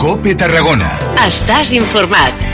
COPE Tarragona. Estàs informat.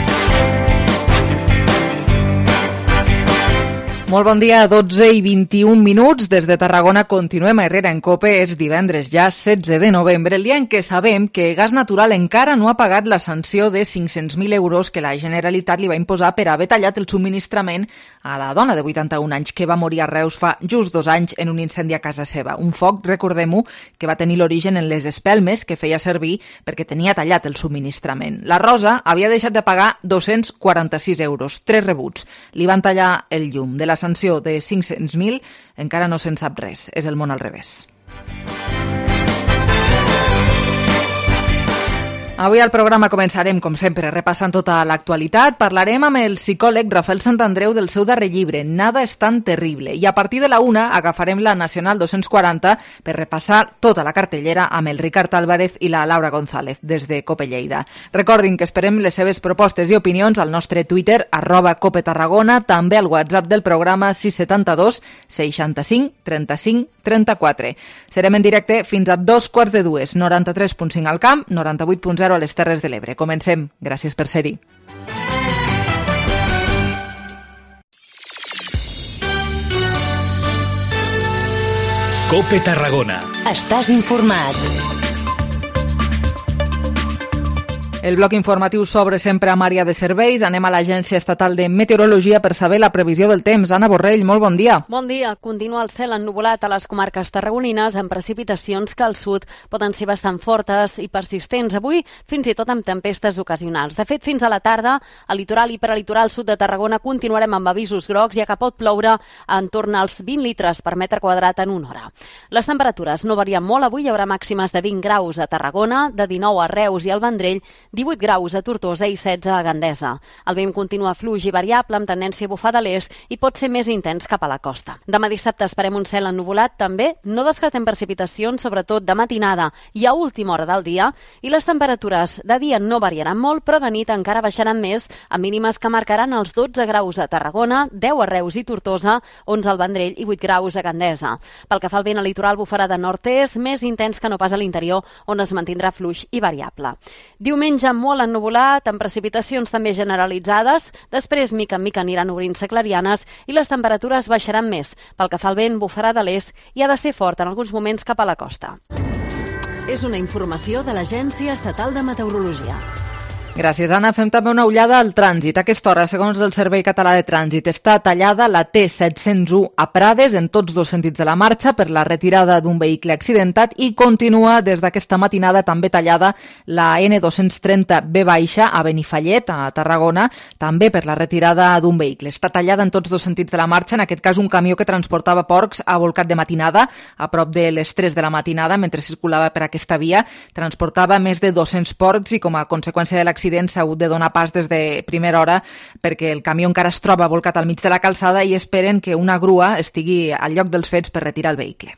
Molt bon dia, 12 i 21 minuts. Des de Tarragona continuem a Herrera en COPE. És divendres ja 16 de novembre, el dia en què sabem que Gas Natural encara no ha pagat la sanció de 500.000 euros que la Generalitat li va imposar per haver tallat el subministrament a la dona de 81 anys que va morir a Reus fa just 2 anys en un incendi a casa seva. Un foc, recordem-ho, que va tenir l'origen en les espelmes que feia servir perquè tenia tallat el subministrament. La Rosa havia deixat de pagar 246 euros, 3 rebuts. Li van tallar el llum. De la sanció de 500.000 encara no se'n sap res. És el món al revés. Avui al programa començarem, com sempre, repassant tota l'actualitat. Parlarem amb el psicòleg Rafael Santandreu del seu darrer llibre, Nada es tan terrible. I a partir de la 1 agafarem la Nacional 240 per repassar tota la cartellera amb el Ricard Álvarez i la Laura González des de COPE Lleida. Recordin que esperem les seves propostes i opinions al nostre Twitter, @COPETarragona, també al WhatsApp del programa 672 65 35 34. Serem en directe fins a 2:15, 93.5 al camp, 98.0 a les Terres de l'Ebre. Comencem. Gràcies per ser-hi. COPE Tarragona. Estàs informat. El bloc informatiu s'obre sempre amb àrea de serveis. Anem a l'Agència Estatal de Meteorologia per saber la previsió del temps. Anna Borrell, molt bon dia. Bon dia. Continua el cel ennuvolat a les comarques tarragonines amb precipitacions que al sud poden ser bastant fortes i persistents. Avui, fins i tot amb tempestes ocasionals. De fet, fins a la tarda, al litoral i peralitoral sud de Tarragona continuarem amb avisos grocs, ja que pot ploure entorn als 20 litres per metre quadrat en una hora. Les temperatures no varien molt. Avui hi haurà màximes de 20 graus a Tarragona, de 19 a Reus i al Vendrell, 18 graus a Tortosa i 16 a Gandesa. El vent continua fluix i variable amb tendència a bufar de l'est i pot ser més intens cap a la costa. Demà dissabte esperem un cel ennuvolat també, no descartem precipitacions, sobretot de matinada i a última hora del dia, i les temperatures de dia no variaran molt, però de nit encara baixaran més, a mínimes que marcaran els 12 graus a Tarragona, 10 a Reus i Tortosa, 11 al Vendrell i 8 graus a Gandesa. Pel que fa al vent, al litoral bufarà de nord-est, més intens que no pas a l'interior, on es mantindrà fluix i variable. Diumenge molt ennuvolat, amb precipitacions també generalitzades. Després, mica en mica, aniran obrint-se clarianes i les temperatures baixaran més. Pel que fa al vent, bufarà de l'est i ha de ser fort en alguns moments cap a la costa. És una informació de l'Agència Estatal de Meteorologia. Gràcies, Anna. Fem també una ullada al trànsit. A aquesta hora, segons el Servei Català de Trànsit, està tallada la T701 a Prades en tots dos sentits de la marxa per la retirada d'un vehicle accidentat i continua des d'aquesta matinada també tallada la N230B- a Benifallet, a Tarragona, també per la retirada d'un vehicle. Està tallada en tots dos sentits de la marxa, en aquest cas un camió que transportava porcs ha volcat de matinada, a prop de les 3 de la matinada, mentre circulava per aquesta via. Transportava més de 200 porcs i com a conseqüència de l'accident s'ha hagut de donar pas des de primera hora perquè el camió encara es troba volcat al mig de la calçada i esperen que una grua estigui al lloc dels fets per retirar el vehicle.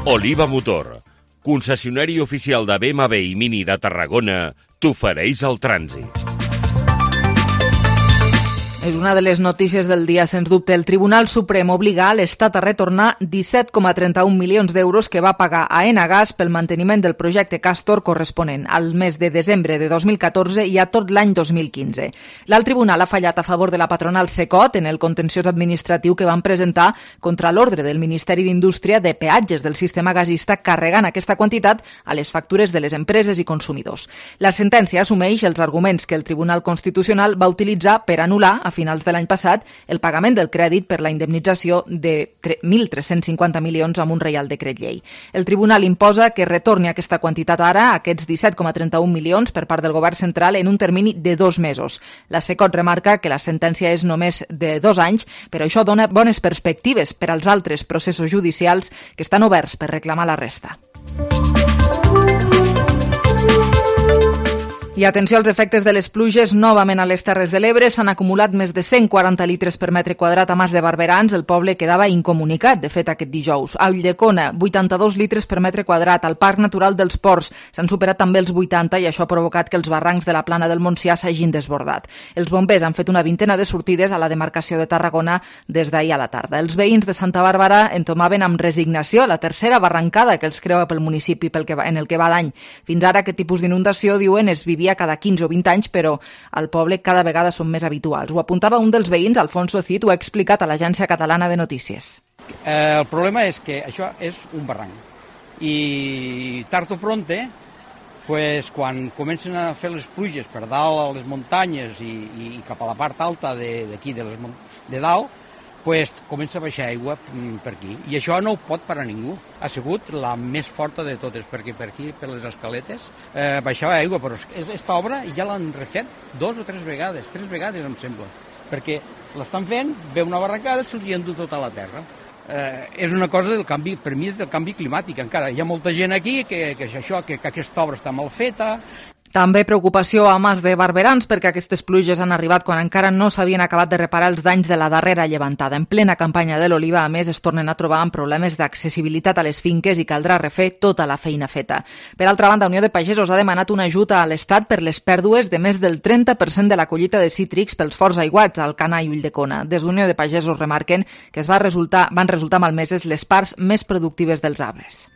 Oliva Motor, concessionari oficial de BMW i Mini de Tarragona, t'ofereix el trànsit. És una de les notícies del dia, sens dubte. El Tribunal Suprem obliga l'Estat a retornar 17,31 milions d'euros que va pagar a Enagas pel manteniment del projecte Castor corresponent al mes de desembre de 2014 i a tot l'any 2015. L'alt tribunal ha fallat a favor de la patronal Secot en el contenciós administratiu que van presentar contra l'ordre del Ministeri d'Indústria de peatges del sistema gasista carregant aquesta quantitat a les factures de les empreses i consumidors. La sentència assumeix els arguments que el Tribunal Constitucional va utilitzar per anul·lar a finals de l'any passat el pagament del crèdit per la indemnització de 1.350 milions amb un reial decret llei. El tribunal imposa que retorni aquesta quantitat ara, aquests 17,31 milions per part del govern central en un termini de 2 mesos. La Secot remarca que la sentència és només de 2 anys, però això dona bones perspectives per als altres processos judicials que estan oberts per reclamar la resta. I atenció als efectes de les pluges, novament a les Terres de l'Ebre s'han acumulat més de 140 litres per metre quadrat a Mas de Barberans. El poble quedava incomunicat, de fet, aquest dijous. A Ulldecona, 82 litres per metre quadrat. Al Parc Natural dels Ports s'han superat també els 80 i això ha provocat que els barrancs de la Plana del Montsià s'hagin desbordat. Els bombers han fet una vintena de sortides a la demarcació de Tarragona des d'ahir a la tarda. Els veïns de Santa Bàrbara entomaven amb resignació la tercera barrancada que els creua pel municipi en el que va d'any. Fins ara aquest tipus d'inundació, diuen, es vivia cada 15 o 20 anys, però al poble cada vegada són més habituals. Ho apuntava un dels veïns, Alfonso Cid, ho ha explicat a l'Agència Catalana de Notícies. El problema és que això és un barranc i tard o pronte, pues, quan comencen a fer les pluges per dalt a les muntanyes i cap a la part alta d'aquí de dalt, pues, comença a baixar aigua per aquí. I això no ho pot parar ningú. Ha sigut la més forta de totes, perquè per aquí, per les escaletes, baixava aigua, però aquesta obra ja l'han refet 2 o 3 vegades, 3 vegades em sembla, perquè l'estan fent, ve una barrancada, se'ls hi endú tota la terra. És una cosa del canvi, per mi, del canvi climàtic. Encara hi ha molta gent aquí que aquesta obra està mal feta. També preocupació a Mas de Barberans perquè aquestes pluges han arribat quan encara no s'havien acabat de reparar els danys de la darrera llevantada. En plena campanya de l'oliva, a més, es tornen a trobar amb problemes d'accessibilitat a les finques i caldrà refer tota la feina feta. Per altra banda, Unió de Pagesos ha demanat una ajuda a l'Estat per les pèrdues de més del 30% de la collita de cítrics pels forts aiguats al Canà i Ulldecona. Des d'Unió de Pagesos remarquen que van resultar malmeses les parts més productives dels arbres.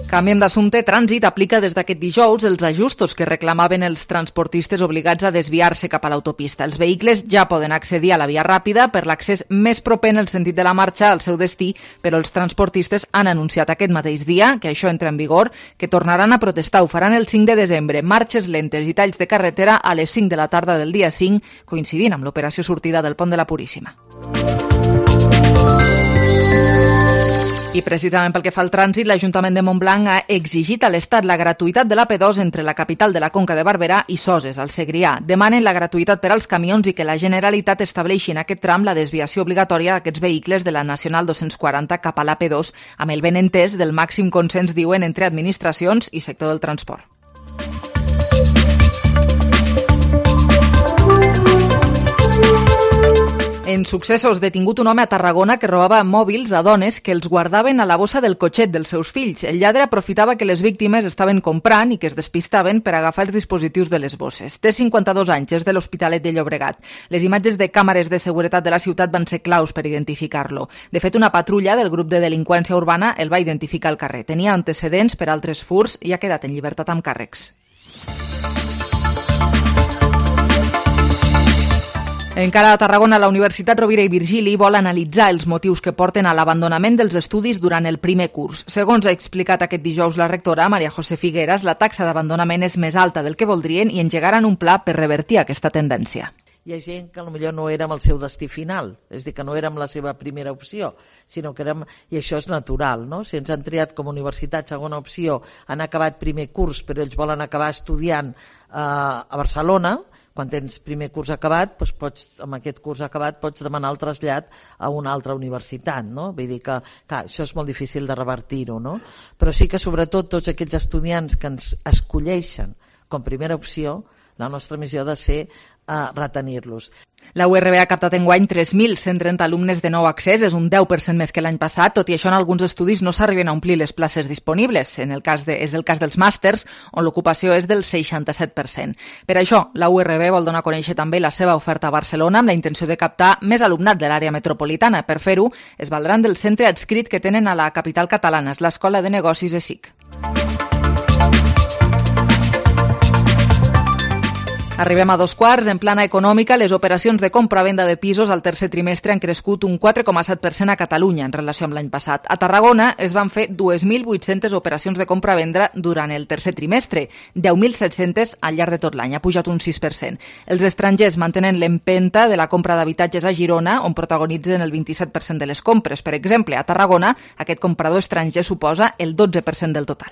Canviem d'assumpte. Trànsit aplica des d'aquest dijous els ajustos que reclamaven els transportistes obligats a desviar-se cap a l'autopista. Els vehicles ja poden accedir a la via ràpida per l'accés més proper en el sentit de la marxa al seu destí, però els transportistes han anunciat aquest mateix dia que això entra en vigor, que tornaran a protestar. Ho faran el 5 de desembre. Marxes lentes i talls de carretera a les 5 de la tarda del dia 5, coincidint amb l'operació sortida del Pont de la Puríssima. I precisament pel que fa al trànsit, l'Ajuntament de Montblanc ha exigit a l'Estat la gratuïtat de l'AP2 entre la capital de la Conca de Barberà i Soses, al Segrià. Demanen la gratuïtat per als camions i que la Generalitat estableixi en aquest tram la desviació obligatòria d'aquests vehicles de la Nacional 240 cap a l'AP2, amb el benentès del màxim consens, diuen, entre administracions i sector del transport. En successos, detingut un home a Tarragona que robava mòbils a dones que els guardaven a la bossa del cotxet dels seus fills. El lladre aprofitava que les víctimes estaven comprant i que es despistaven per agafar els dispositius de les bosses. Té 52 anys, és de l'Hospitalet de Llobregat. Les imatges de càmeres de seguretat de la ciutat van ser claus per identificar-lo. De fet, una patrulla del grup de delinqüència urbana el va identificar al carrer. Tenia antecedents per altres furts i ha quedat en llibertat amb càrrecs. Encara a Tarragona, la Universitat Rovira i Virgili vol analitzar els motius que porten a l'abandonament dels estudis durant el primer curs. Segons ha explicat aquest dijous la rectora, Maria José Figueras, la taxa d'abandonament és més alta del que voldrien i engegaran un pla per revertir aquesta tendència. Hi ha gent que potser no érem el seu destí final, és a dir, que no érem la seva primera opció, sinó que érem, i això és natural, no? Si ens han triat com a universitat segona opció, han acabat primer curs, però ells volen acabar estudiant a Barcelona. Quan tens primer curs acabat, doncs amb aquest curs acabat pots demanar el trasllat a una altra universitat, no? Vull dir que clar, això és molt difícil de revertir-ho, no? Però sí que sobretot tots aquells estudiants que ens escolleixen com primera opció, la nostra missió ha de ser retenir-los. La URB ha captat enguany 3.130 alumnes de nou accés, és un 10% més que l'any passat. Tot i això, en alguns estudis no s'arriben a omplir les places disponibles. És el cas dels màsters, on l'ocupació és del 67%. Per això, la URB vol donar a conèixer també la seva oferta a Barcelona amb la intenció de captar més alumnat de l'àrea metropolitana. Per fer-ho, es valdran del centre adscrit que tenen a la capital catalana, és l'Escola de Negocis ESIC. Arribem a 2:15. En plana econòmica, les operacions de compra-venda de pisos al tercer trimestre han crescut un 4,7% a Catalunya en relació amb l'any passat. A Tarragona es van fer 2.800 operacions de compra-venda durant el tercer trimestre, 10.700 al llarg de tot l'any, ha pujat un 6%. Els estrangers mantenen l'empenta de la compra d'habitatges a Girona, on protagonitzen el 27% de les compres. Per exemple, a Tarragona, aquest comprador estranger suposa el 12% del total.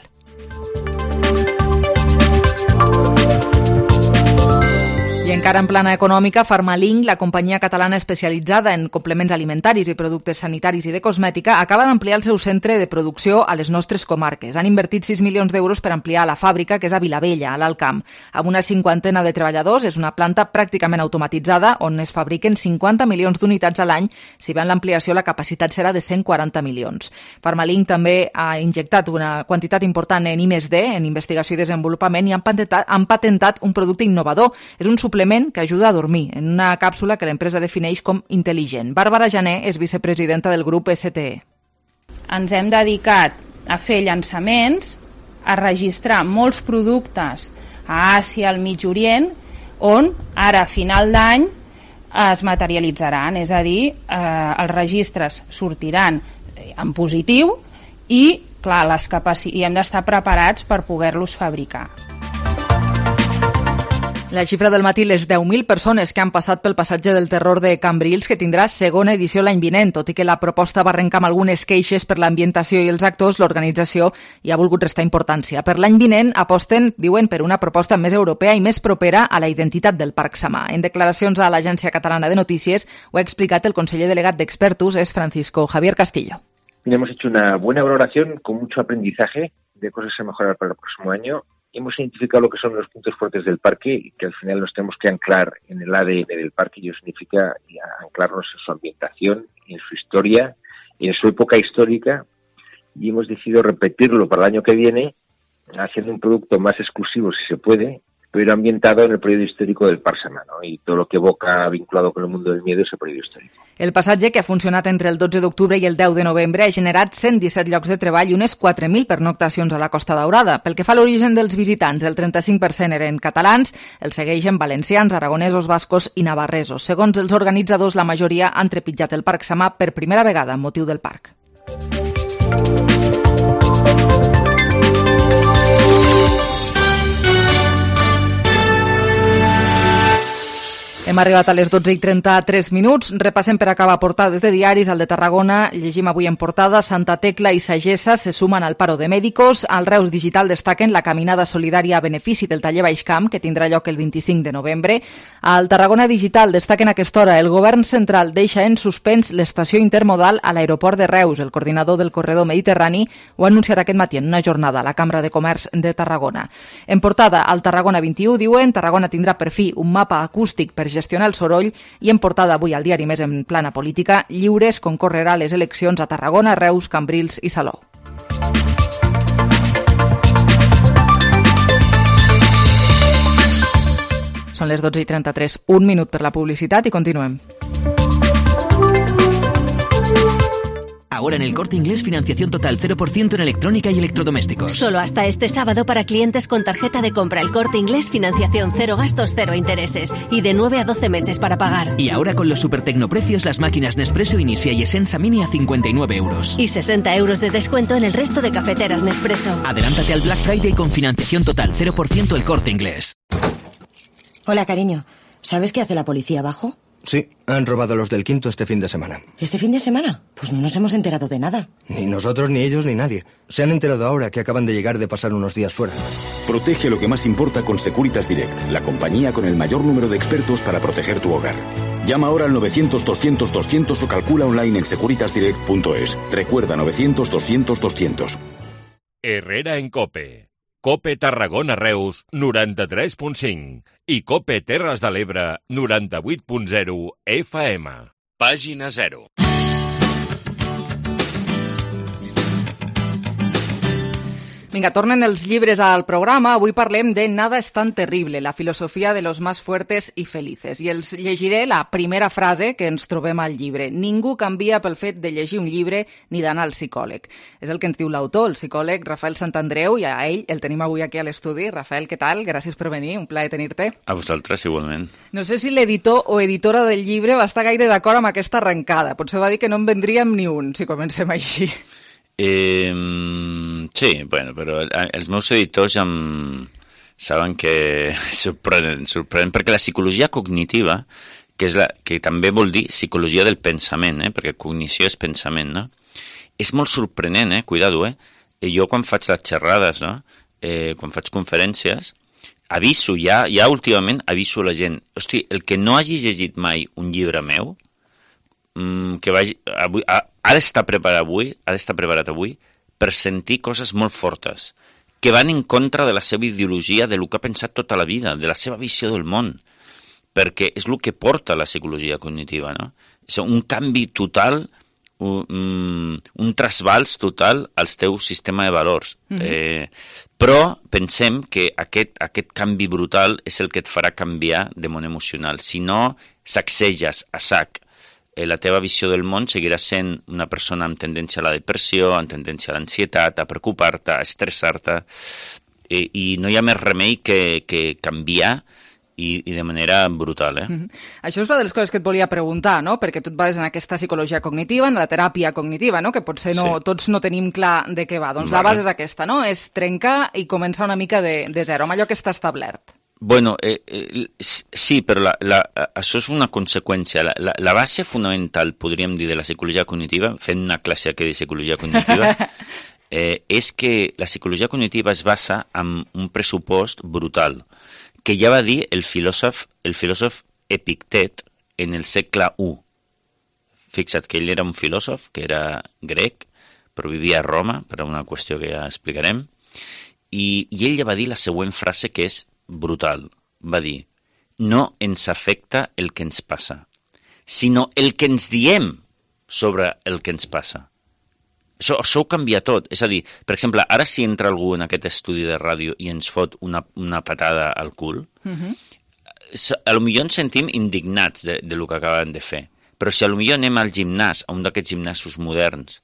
I encara en plana econòmica, Farmalink, la companyia catalana especialitzada en complements alimentaris i productes sanitaris i de cosmètica, acaba d'ampliar el seu centre de producció a les nostres comarques. Han invertit 6 milions d'euros per ampliar la fàbrica, que és a Vilavella, a l'Alt Camp. Amb una 50 de treballadors, és una planta pràcticament automatitzada on es fabriquen 50 milions d'unitats a l'any. Si bé en l'ampliació la capacitat serà de 140 milions. Farmalink també ha injectat una quantitat important en I+D, en investigació i desenvolupament, i han patentat un producte innovador. És un suplement que ajuda a dormir, en una càpsula que l'empresa defineix com intel·ligent. Bàrbara Jané és vicepresidenta del grup STE. Ens hem dedicat a fer llançaments, a registrar molts productes a Àsia, al Mig Orient, on ara a final d'any es materialitzaran, és a dir, els registres sortiran en positiu i, clar, i hem d'estar preparats per poder-los fabricar. La xifra del matí, les 10.000 persones que han passat pel passatge del terror de Cambrils, que tindrà segona edició l'any vinent. Tot i que la proposta va arrencar amb algunes queixes per l'ambientació i els actors, l'organització hi ha volgut restar importància. Per l'any vinent aposten, diuen, per una proposta més europea i més propera a la identitat del Parc Samà. En declaracions a l'Agència Catalana de Notícies ho ha explicat el conseller delegat d'Expertus, es Francisco Javier Castillo. Hemos hecho una buena valoración con mucho aprendizaje de cosas a mejorar para el próximo año. Hemos identificado lo que son los puntos fuertes del parque y que al final nos tenemos que anclar en el ADN del parque, y eso significa anclarnos en su ambientación, en su historia, en su época histórica, y hemos decidido repetirlo para el año que viene, haciendo un producto más exclusivo si se puede, pero ambientado en el periodo histórico del Parc Samà, ¿no? Y todo lo que evoca vinculado con el mundo del miedo ese periodo histórico. El passatge, que ha funcionat entre el 12 d'octubre i el 10 de novembre, ha generat 117 llocs de treball i unes 4.000 pernoctacions a la Costa Daurada. Pel que fa a l'origen dels visitants, el 35% eren catalans, els segueixen valencians, aragonesos, bascos i navarresos. Segons els organitzadors, la majoria han trepitjat el Parc Samà per primera vegada amb motiu del parc. Hem arribat a les 12:33 minuts. Repassem per acabar portades de diaris. Al de Tarragona llegim avui en portada: Santa Tecla i Sagessa se sumen al paro de médicos. Al Reus Digital destaquen la caminada solidària a benefici del taller Baixcamp, que tindrà lloc el 25 de novembre. Al Tarragona Digital destaquen a aquesta hora: el govern central deixa en suspens l'estació intermodal a l'aeroport de Reus. El coordinador del corredor mediterrani ho ha anunciat aquest matí en una jornada a la Cambra de Comerç de Tarragona. En portada, al Tarragona 21 diuen: Tarragona tindrà per fi un mapa acústic per gestionar el soroll. I en portada avui al diari Més en plana política: Lliures concorrerà a les eleccions a Tarragona, Reus, Cambrils i Salou. Són les 12:33, un minut per la publicitat i continuem. Ahora en el Corte Inglés, financiación total 0% en electrónica y electrodomésticos. Solo hasta este sábado para clientes con tarjeta de compra El Corte Inglés, financiación 0 gastos, 0 intereses y de 9 a 12 meses para pagar. Y ahora con los supertecnoprecios, las máquinas Nespresso Inicia y Essenza Mini a 59 euros. Y 60 euros de descuento en el resto de cafeteras Nespresso. Adelántate al Black Friday con financiación total 0% El Corte Inglés. Hola, cariño. ¿Sabes qué hace la policía abajo? Sí, han robado los del Quinto este fin de semana. ¿Este fin de semana? Pues no nos hemos enterado de nada. Ni nosotros, ni ellos, ni nadie. Se han enterado ahora que acaban de llegar de pasar unos días fuera. Protege lo que más importa con Securitas Direct, la compañía con el mayor número de expertos para proteger tu hogar. Llama ahora al 900-200-200 o calcula online en securitasdirect.es. Recuerda, 900-200-200. Herrera en COPE. COPE Tarragona Reus 93.5 i COPE Terres de l'Ebre 98.0 FM. Pàgina 0. Vinga, tornen els llibres al programa. Avui parlem de Nada es tan terrible, la filosofia de los más fuertes y felices. I els llegiré la primera frase que ens trobem al llibre. Ningú canvia pel fet de llegir un llibre ni d'anar al psicòleg. És el que ens diu l'autor, el psicòleg Rafael Santandreu, i a ell el tenim avui aquí a l'estudi. Rafael, què tal? Gràcies per venir, un plaer tenir-te. A vosaltres, igualment. No sé si l'editor o editora del llibre va estar gaire d'acord amb aquesta arrencada. Potser va dir que no en vendríem ni un, si comencem així. Sí, bueno, però els meus editors ja saben que sorprenen perquè la psicologia cognitiva, que també vol dir psicologia del pensament, perquè cognició és pensament, no? És molt sorprenent, cuidado, jo quan faig les xerrades, no? Quan faig conferències, aviso, ja últimament aviso a la gent, hosti, el que no hagi llegit mai un llibre meu, que vagi, avui, ha d'estar preparat avui per sentir coses molt fortes, que van en contra de la seva ideologia, de lo que ha pensat tota la vida, de la seva visió del món, perquè és el que porta la psicologia cognitiva, no? És un canvi total, un trasbals total al teu sistema de valors. Però pensem que aquest canvi brutal és el que et farà canviar de món emocional. Si no sacseges a sac la teva visió del món, seguiràs sent una persona amb tendència a la depressió, amb tendència a l'ansietat, a preocupar-te, a estressar-te, i no hi ha més remei que canviar i de manera brutal. Això és una de les coses que et volia preguntar, no? Perquè tu et bases en aquesta psicologia cognitiva, en la teràpia cognitiva, no? Que potser tots no tenim clar de què va. Doncs la base és aquesta, no? És trencar i començar una mica de zero, amb allò que està establert. Bueno, sí, però això és una conseqüència. La base fonamental, podríem dir, de la psicologia cognitiva, fent una classe aquí de psicologia cognitiva, és que la psicologia cognitiva es basa en un pressupost brutal, que ja va dir el filòsof Epictet en el segle I. Fixa't que ell era un filòsof, que era grec, però vivia a Roma, per una qüestió que ja explicarem, i ell ja va dir la següent frase que és brutal. Va dir, no ens afecta el que ens passa, sinó el que ens diem sobre el que ens passa. Això ho canvia tot. És a dir, per exemple, ara si entra algú en aquest estudi de ràdio i ens fot una patada al cul, a lo millor ens sentim indignats de lo que acaben de fer. Però si a lo millor anem al gimnàs, a un d'aquests gimnasos moderns,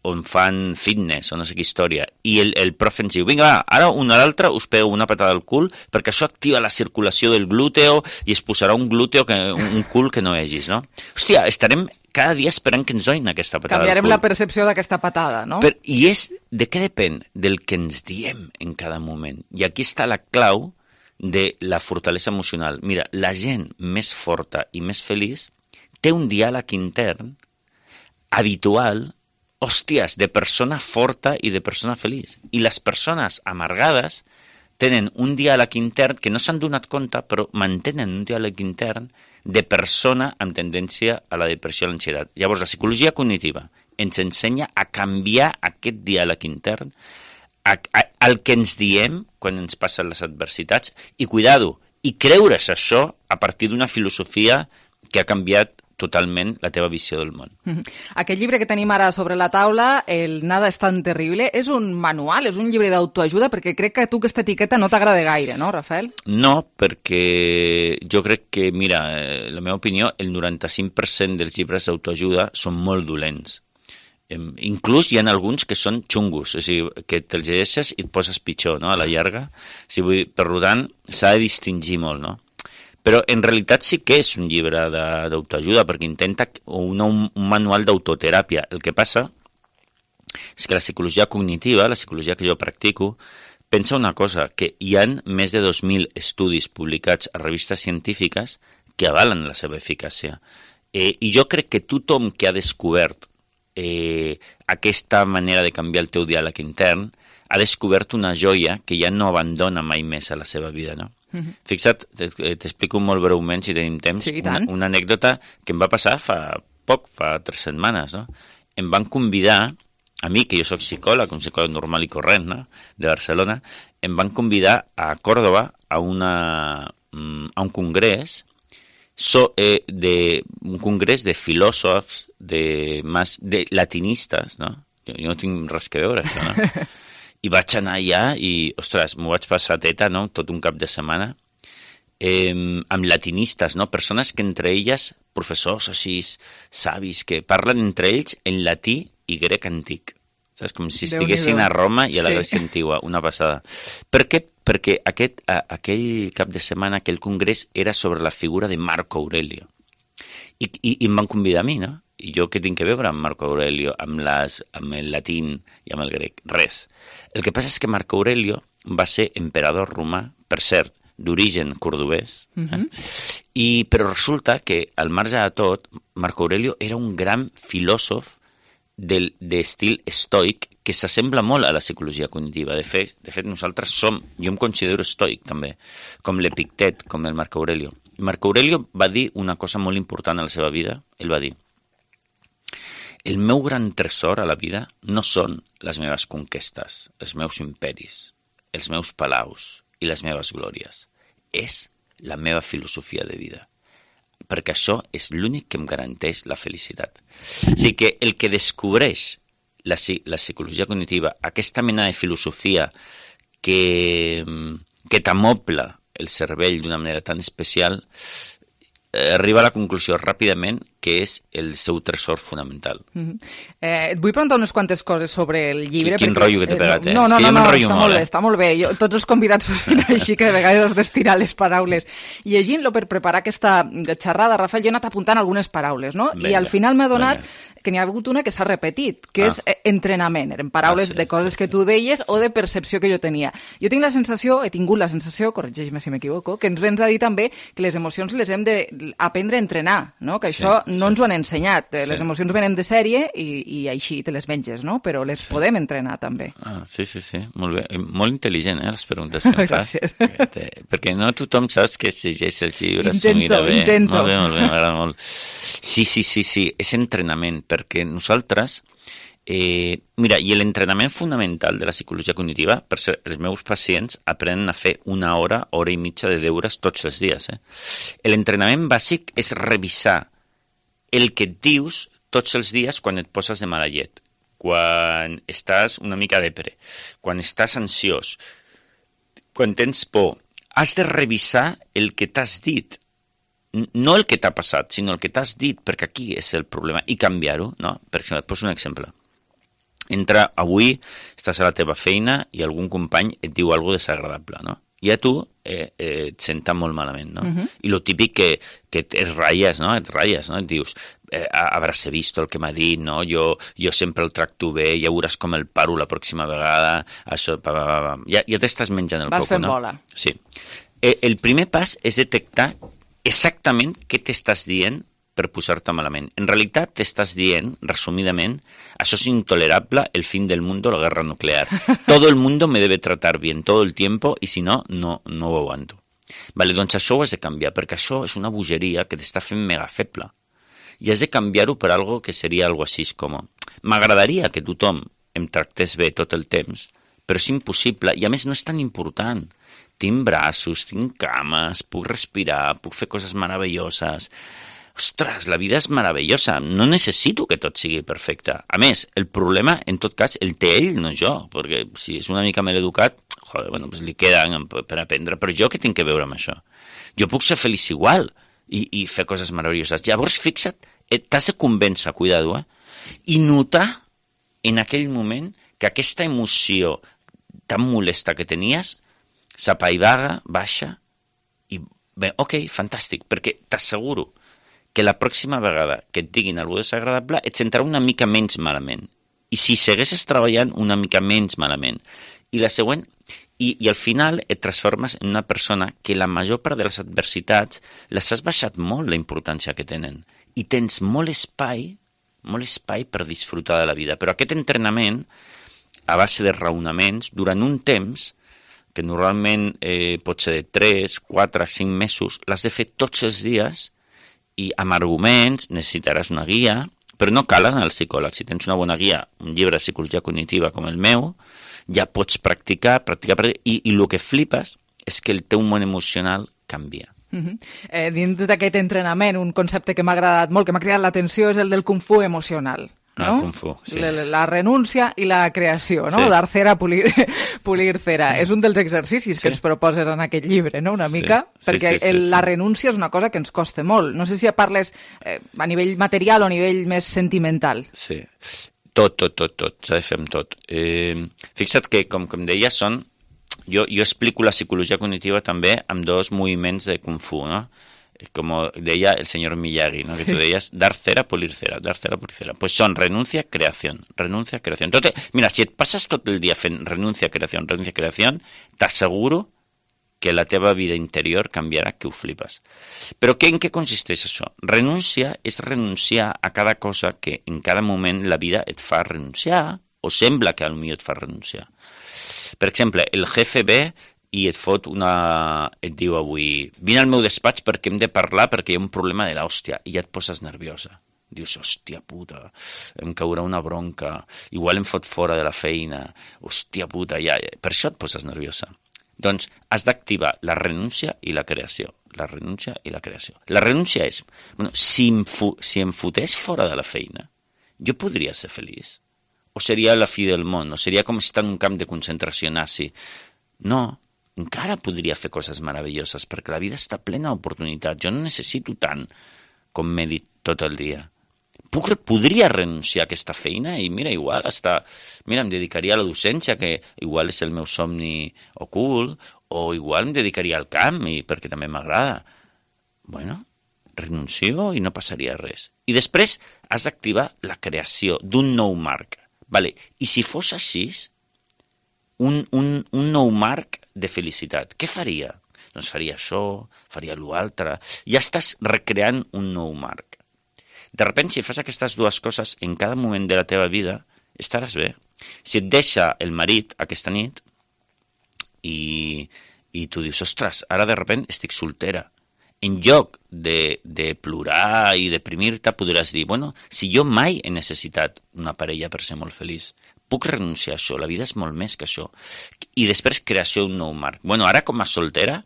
on fan fitness o no sé què història, i el profe ens diu, vinga, ara un a l'altre us pego una patada al cul perquè això activa la circulació del glúteo i es posarà un glúteo, un cul que no vegis, no? Hòstia, estarem cada dia esperant que ens donin aquesta patada al cul. Canviarem la percepció d'aquesta patada, no? I és de què depèn? Del que ens diem en cada moment. I aquí està la clau de la fortalesa emocional. Mira, la gent més forta i més feliç té un diàleg intern habitual, hòsties, de persona forta i de persona feliç. I les persones amargades tenen un diàleg intern que no s'han donat compte, però mantenen un diàleg intern de persona amb tendència a la depressió i a l'ansietat. Llavors, la psicologia cognitiva ens ensenya a canviar aquest diàleg intern, el que ens diem quan ens passen les adversitats, i cuidado, i creure's això a partir d'una filosofia que ha canviat totalment la teva visió del món. Aquest llibre que tenim ara sobre la taula, el Nada és tan terrible, és un manual, és un llibre d'autoajuda, perquè crec que a tu aquesta etiqueta no t'agrada gaire, no, Rafael? No, perquè jo crec que, mira, la meva opinió, el 95% dels llibres d'autoajuda són molt dolents. Inclús hi ha alguns que són xungos, o sigui, que te'ls llegeixes i et poses pitjor, no?, a la llarga. O sigui, per tant, s'ha de distingir molt, no? Però en realitat sí que és un llibre d'autoajuda, perquè intenta un manual d'autoteràpia. El que passa és que la psicologia cognitiva, la psicologia que jo practico, pensa una cosa, que hi ha més de 2.000 estudis publicats a revistes científiques que avalen la seva eficàcia. I jo crec que tothom que ha descobert aquesta manera de canviar el teu diàleg intern ha descobert una joia que ja no abandona mai més a la seva vida, no? Fixa't, t'explico molt breument, si tenim temps, una anècdota que em va passar fa 3 setmanes, no? Em van convidar, a mi, que jo soc psicòleg, un psicòleg normal i corrent, no?, de Barcelona, em van convidar a Còrdova a un congrés, un congrés de filòsofs, de latinistes, no? Jo no tinc res que veure, això, no? I vaig anar allà i, ostres, m'ho vaig passar teta, no?, tot un cap de setmana, amb latinistes, no?, persones que entre elles, professors així, savis, que parlen entre ells en latí i grec antic. Saps? Com si estiguessin a Roma i a la Grècia antigua, una passada. Per què? Perquè aquell cap de setmana, aquell congrés, era sobre la figura de Marco Aurelio. I em van convidar a mi, no? I jo què tinc que veure amb Marco Aurelio, amb el latín i amb el grec? Res. El que passa és que Marco Aurelio va ser emperador romà, per cert, d'origen cordobès, però resulta que, al marge de tot, Marco Aurelio era un gran filòsof d'estil estoic que s'assembla molt a la psicologia cognitiva. De fet, nosaltres jo em considero estoic, també, com l'Epictet, com el Marco Aurelio. Marco Aurelio va dir una cosa molt important a la seva vida. Ell va dir: el meu gran tresor a la vida no són les meves conquestes, els meus imperis, els meus palaus i les meves glòries. És la meva filosofia de vida, perquè això és l'únic que em garanteix la felicitat. O sigui que el que descobreix la psicologia cognitiva, aquesta mena de filosofia que t'amobla el cervell d'una manera tan especial, arriba a la conclusió ràpidament que és el seu tresor fonamental. Et vull preguntar unes quantes coses sobre el llibre. Quin rotllo que t'he pegat, No, està molt bé. Tots els convidats són així, que de vegades has d'estirar les paraules. Llegint-lo per preparar aquesta xerrada, Rafael, jo he anat apuntant algunes paraules, no? I al final m'he adonat que n'hi ha hagut una que s'ha repetit, que és entrenament. Eren paraules de coses que tu deies o de percepció que jo tenia. Jo tinc la sensació, he tingut la sensació, corregeix-me si m'equivoco, que ens vens a dir també que les emocions les hem d'aprendre a entrenar, no? Que això no ens ho han ensenyat. Les emocions venen de sèrie i així te les menges, no? Però les podem entrenar també. Sí, molt bé. Molt intel·ligent, les preguntes que em fas. Perquè no tothom saps que llegeix els llibres. Intento. Molt bé, m'agrada molt. Sí, és entrenament, perquè nosaltres... Mira, i l'entrenament fonamental de la psicologia cognitiva, per ser, els meus pacients aprenen a fer 1 hora, hora i mitja de deures tots els dies. L'entrenament bàsic és revisar el que et dius tots els dies quan et poses de mala llet, quan estàs una mica depre, quan estàs ansiós, quan tens por. Has de revisar el que t'has dit, no el que t'ha passat, sinó el que t'has dit, perquè aquí és el problema, i canviar-ho, no? Per exemple, et poso un exemple. Avui estàs a la teva feina i algun company et diu alguna cosa desagradable, no? I a tu et senta molt malament, no? I lo típic que et ratlles, no? Et dius, habràs vist el que m'ha dit, no? Jo sempre el tracto bé, ja veuràs com el paro la pròxima vegada, això, ja t'estàs menjant el coco, no? Vas fent bola. Sí. El primer pas és detectar exactament què t'estàs dient per posar-te malament. En realitat t'estàs dient, resumidament, això es intolerable, el fin del mundo, la guerra nuclear. Todo el mundo me debe tratar bien todo el tiempo y si no, no ho aguanto. Vale, doncs això ho has de canviar, perquè això és una bogeria que t'està fent mega feble. I has de canviar-ho per algo que seria algo així com: m'agradaria que tothom em tractés bé tot el temps, però és impossible i a més no és tan important. Tinc braços, tinc cames, puc respirar, puc fer coses meravelloses. Ostres, la vida és meravellosa, no necessito que tot sigui perfecte. A més, el problema, en tot cas, el té ell, no jo, perquè si és una mica maleducat, doncs li queden per aprendre, però jo què tinc que veure amb això? Jo puc ser feliç igual i fer coses meravelloses. Llavors, fixa't, t'has de convèncer, cuidado, i notar en aquell moment que aquesta emoció tan molesta que tenies s'apaivaga, baixa, i bé, ok, fantàstic, perquè t'asseguro que la pròxima vegada que et diguin alguna cosa desagradable et sentarà una mica menys malament. I si segueixes treballant, una mica menys malament. I la següent, i al final et transformes en una persona que la major part de les adversitats les has baixat molt la importància que tenen. I tens molt espai per disfrutar de la vida. Però aquest entrenament, a base de raonaments, durant un temps, que normalment pot ser de 3, 4, 5 mesos, l'has de fer tots els dies i amb arguments, necessitaràs una guia, però no cal anar al psicòleg. Si tens una bona guia, un llibre de psicologia cognitiva com el meu, ja pots practicar, i el que flipes és que el teu món emocional canvia. Dins d'aquest entrenament, un concepte que m'ha agradat molt, que m'ha cridat l'atenció, és el del Kung Fu emocional. No? Kung Fu, sí. La renúncia i la creació, no? Sí. Dar cera, pulir cera. Sí. És un dels exercicis que ens proposes en aquest llibre, no? Una mica, perquè la renúncia és una cosa que ens costa molt. No sé si parles a nivell material o a nivell més sentimental. Sí, tot, s'ha de fer amb tot. Fixa't que, com deia, jo explico la psicologia cognitiva també amb 2 moviments de Kung Fu, no? Como deia el senyor Miyagi, ¿no? Que tú deies dar cera, pulir cera, dar cera, pulir cera. Pues son renuncia, creación, renuncia, creación. Entonces, mira, si et passes tot el dia fent renuncia, creación, t'asseguro que la teva vida interior canviarà, que ho flipes. Però en què consisteix això? Renúncia és renunciar a cada cosa que en cada moment la vida et fa renunciar, o sembla que potser et fa renunciar. Per exemple, el jefe ve i et diu avui, vine al meu despatx perquè hem de parlar perquè hi ha un problema de l'hòstia, i ja et poses nerviosa. Dius, hòstia puta, em caurà una bronca, igual em fot fora de la feina, hòstia puta, ja. Per això et poses nerviosa. Doncs has d'activar la renúncia i la creació. La renúncia i la creació. La renúncia és, bueno, si em fotés fora de la feina, jo podria ser feliç? O seria la fi del món? O seria com estar en un camp de concentració nazi? No, encara podria fer coses meravelloses, perquè la vida està plena d'oportunitats. Jo no necessito tant com m'he dit tot el dia. Podria renunciar a aquesta feina i mira, igual em dedicaria a la docència, que igual és el meu somni ocult, o igual em dedicaria al camp, perquè també m'agrada. Bueno, renuncio i no passaria res. I després has d'activar la creació d'un nou marc. Vale. I si fos així, un nou marc de felicitat, què faria? Doncs faria això, faria l'altre. Ja estàs recreant un nou marc. De sobte, si fas aquestes dues coses en cada moment de la teva vida, estaràs bé. Si et deixa el marit aquesta nit i tu dius, ostres, ara de sobte estic soltera. En lloc de plorar i deprimir-te, podràs dir, bueno, si jo mai he necessitat una parella per ser molt feliç, puc renunciar a això, la vida és molt més que això. I després creació d'un nou marc. Bueno, ara com a soltera,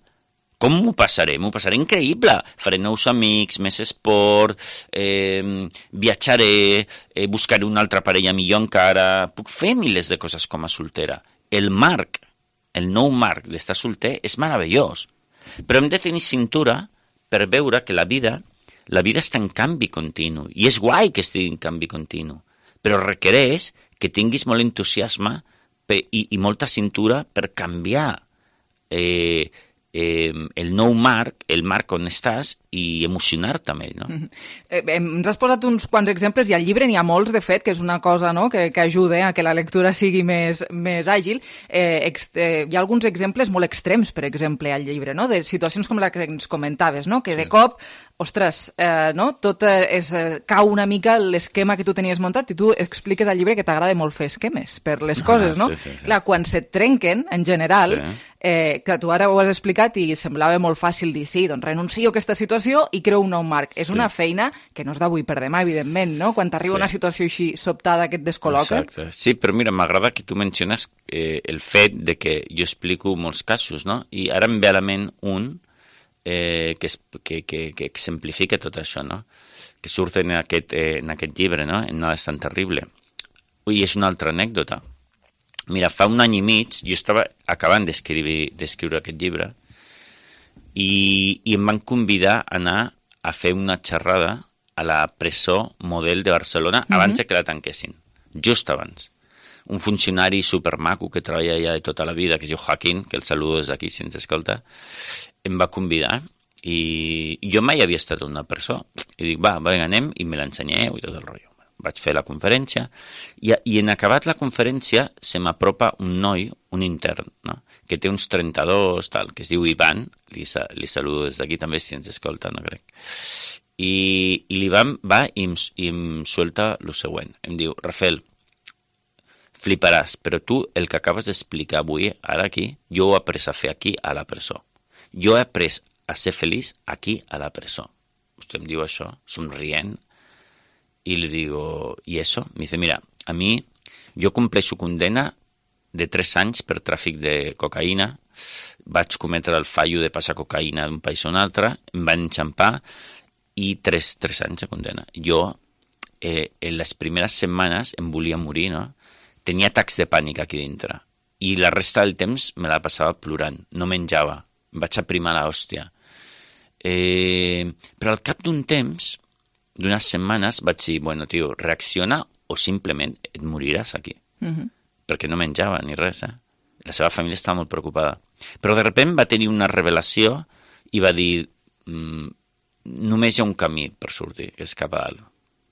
com m'ho passaré? M'ho passaré increïble. Faré nous amics, més esport, viatjaré, buscaré una altra parella millor encara. Puc fer milers de coses com a soltera. El nou marc d'estar solter és meravellós. Però hem de tenir cintura per veure que la vida està en canvi continu. I és guai que estigui en canvi continu. Però requereix que tinguis molt entusiasme i molta cintura per canviar el nou marc, el marc on estàs, i emocionar-te amb ell, no? Ens has posat uns quants exemples, i al llibre n'hi ha molts, de fet, que és una cosa, no?, que ajuda a que la lectura sigui més àgil. Hi ha alguns exemples molt extrems, per exemple, al llibre, no?, de situacions com la que ens comentaves, no?, que de cop, ostres, no?, tot cau una mica l'esquema que tu tenies muntat, i tu expliques al llibre que t'agrada molt fer esquemes per les coses, no? Sí. Clar, quan se't trenquen, en general, que tu ara ho has explicat i semblava molt fàcil dir, sí, doncs renuncio a aquesta situació i creo un nou marc. És una feina que no és d'avui per demà, evidentment, no? Quan t'arriba una situació així sobtada que et descol·loca. Exacte. Sí, però mira, m'agrada que tu menciones el fet de que jo explico molts casos, no? I ara em ve a la ment un que exemplifica tot això, no? Que surt en aquest llibre, no? En Nada és tan terrible. I és una altra anècdota. Mira, fa un any i mig, jo estava acabant d'escriure aquest llibre, i em van convidar a anar a fer una xerrada a la presó Model de Barcelona abans que la tanquessin, just abans. Un funcionari supermaco que treballa allà de tota la vida, que es diu Joaquín, que el saludo des d'aquí si ens escolta, em va convidar i jo mai havia estat a una presó. I dic, va, anem i me l'ensenyeu i tot el rotllo. Vaig fer la conferència i en acabat la conferència se m'apropa un noi, un intern, no?, que té uns 32, tal, que es diu Ivan, li saludo des d'aquí també si ens escolta, no crec. I l'Ivan va i em suelta el següent. Em diu, Rafael, fliparàs, però tu el que acabes d'explicar avui, ara aquí, jo ho he après a fer aquí a la presó. Jo he après a ser feliç aquí a la presó. Vostè em diu això, somrient. Y le digo, ¿y eso? Me dice, mira, a mí, yo compleixo condena de 3 anys per tràfic de cocaïna, vaig cometre el fallo de passar cocaïna d'un país a un altre, em van enxampar i 3 anys de condena. Jo, en les primeres setmanes em volia morir, no? Tenia atacs de pànic aquí dintre i la resta del temps me la passava plorant, no menjava, em vaig aprimar l'hòstia. Però al cap d'un temps, d'unes setmanes, vaig dir, bueno, tio, reacciona o simplement et moriràs aquí. Perquè no menjava ni res, La seva família estava molt preocupada. Però de sobte va tenir una revelació i va dir, només hi ha un camí per sortir, que és cap a dalt.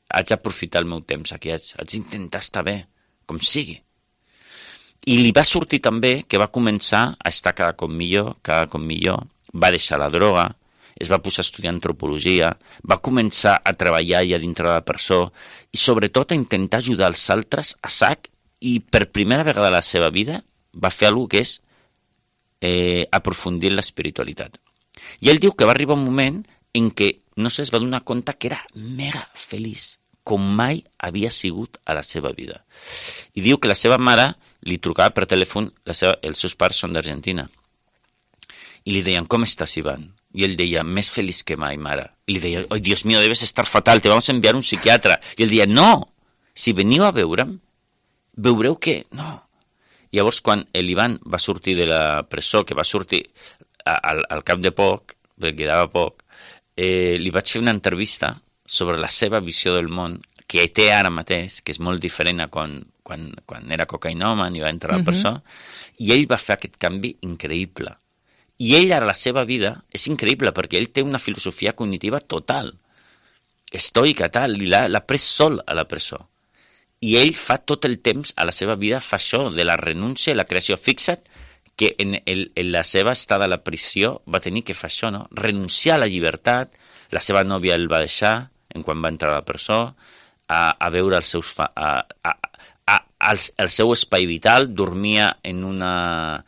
Haig d'aprofitar el meu temps aquí, haig d'intentar estar bé, com sigui. I li va sortir també que va començar a estar cada cop millor, va deixar la droga, es va posar a estudiar antropologia, va començar a treballar allà dintre de la presó i sobretot a intentar ajudar els altres a sac i per primera vegada a la seva vida va fer alguna que és aprofundir en l'espiritualitat. I ell diu que va arribar un moment en què, no sé, es va donar compte que era mega feliç, com mai havia sigut a la seva vida. I diu que la seva mare li trucava per telèfon, els seus pares són d'Argentina, i li deien, ¿cómo estás, Iván? Y él decía, més feliz que mai, mare. Y le deia, ¡ay, Dios mío, debes estar fatal, te vamos a enviar un psiquiatra! I ell deia, no, si veniu a veure'm, veureu que no. I llavors, quan l'Ivan va sortir de la presó, que va sortir al cap de poc, perquè quedava poc, li vaig fer una entrevista sobre la seva visió del món, que té ara mateix, que és molt diferent a quan era cocaïnoman i va entrar a la presó, i ell va fer aquest canvi increïble. I ell, ara, la seva vida, és increïble, perquè ell té una filosofia cognitiva total, estoica, tal, i l'ha pres sol a la presó. I ell fa tot el temps, a la seva vida, fa això, de la renúncia i la creació. Fixa't que en la seva estada a la prisió va tenir que fer això, no? Renunciar a la llibertat, la seva nòvia el va deixar, quan va entrar a la presó, a veure els seus... el seu espai vital, dormia en una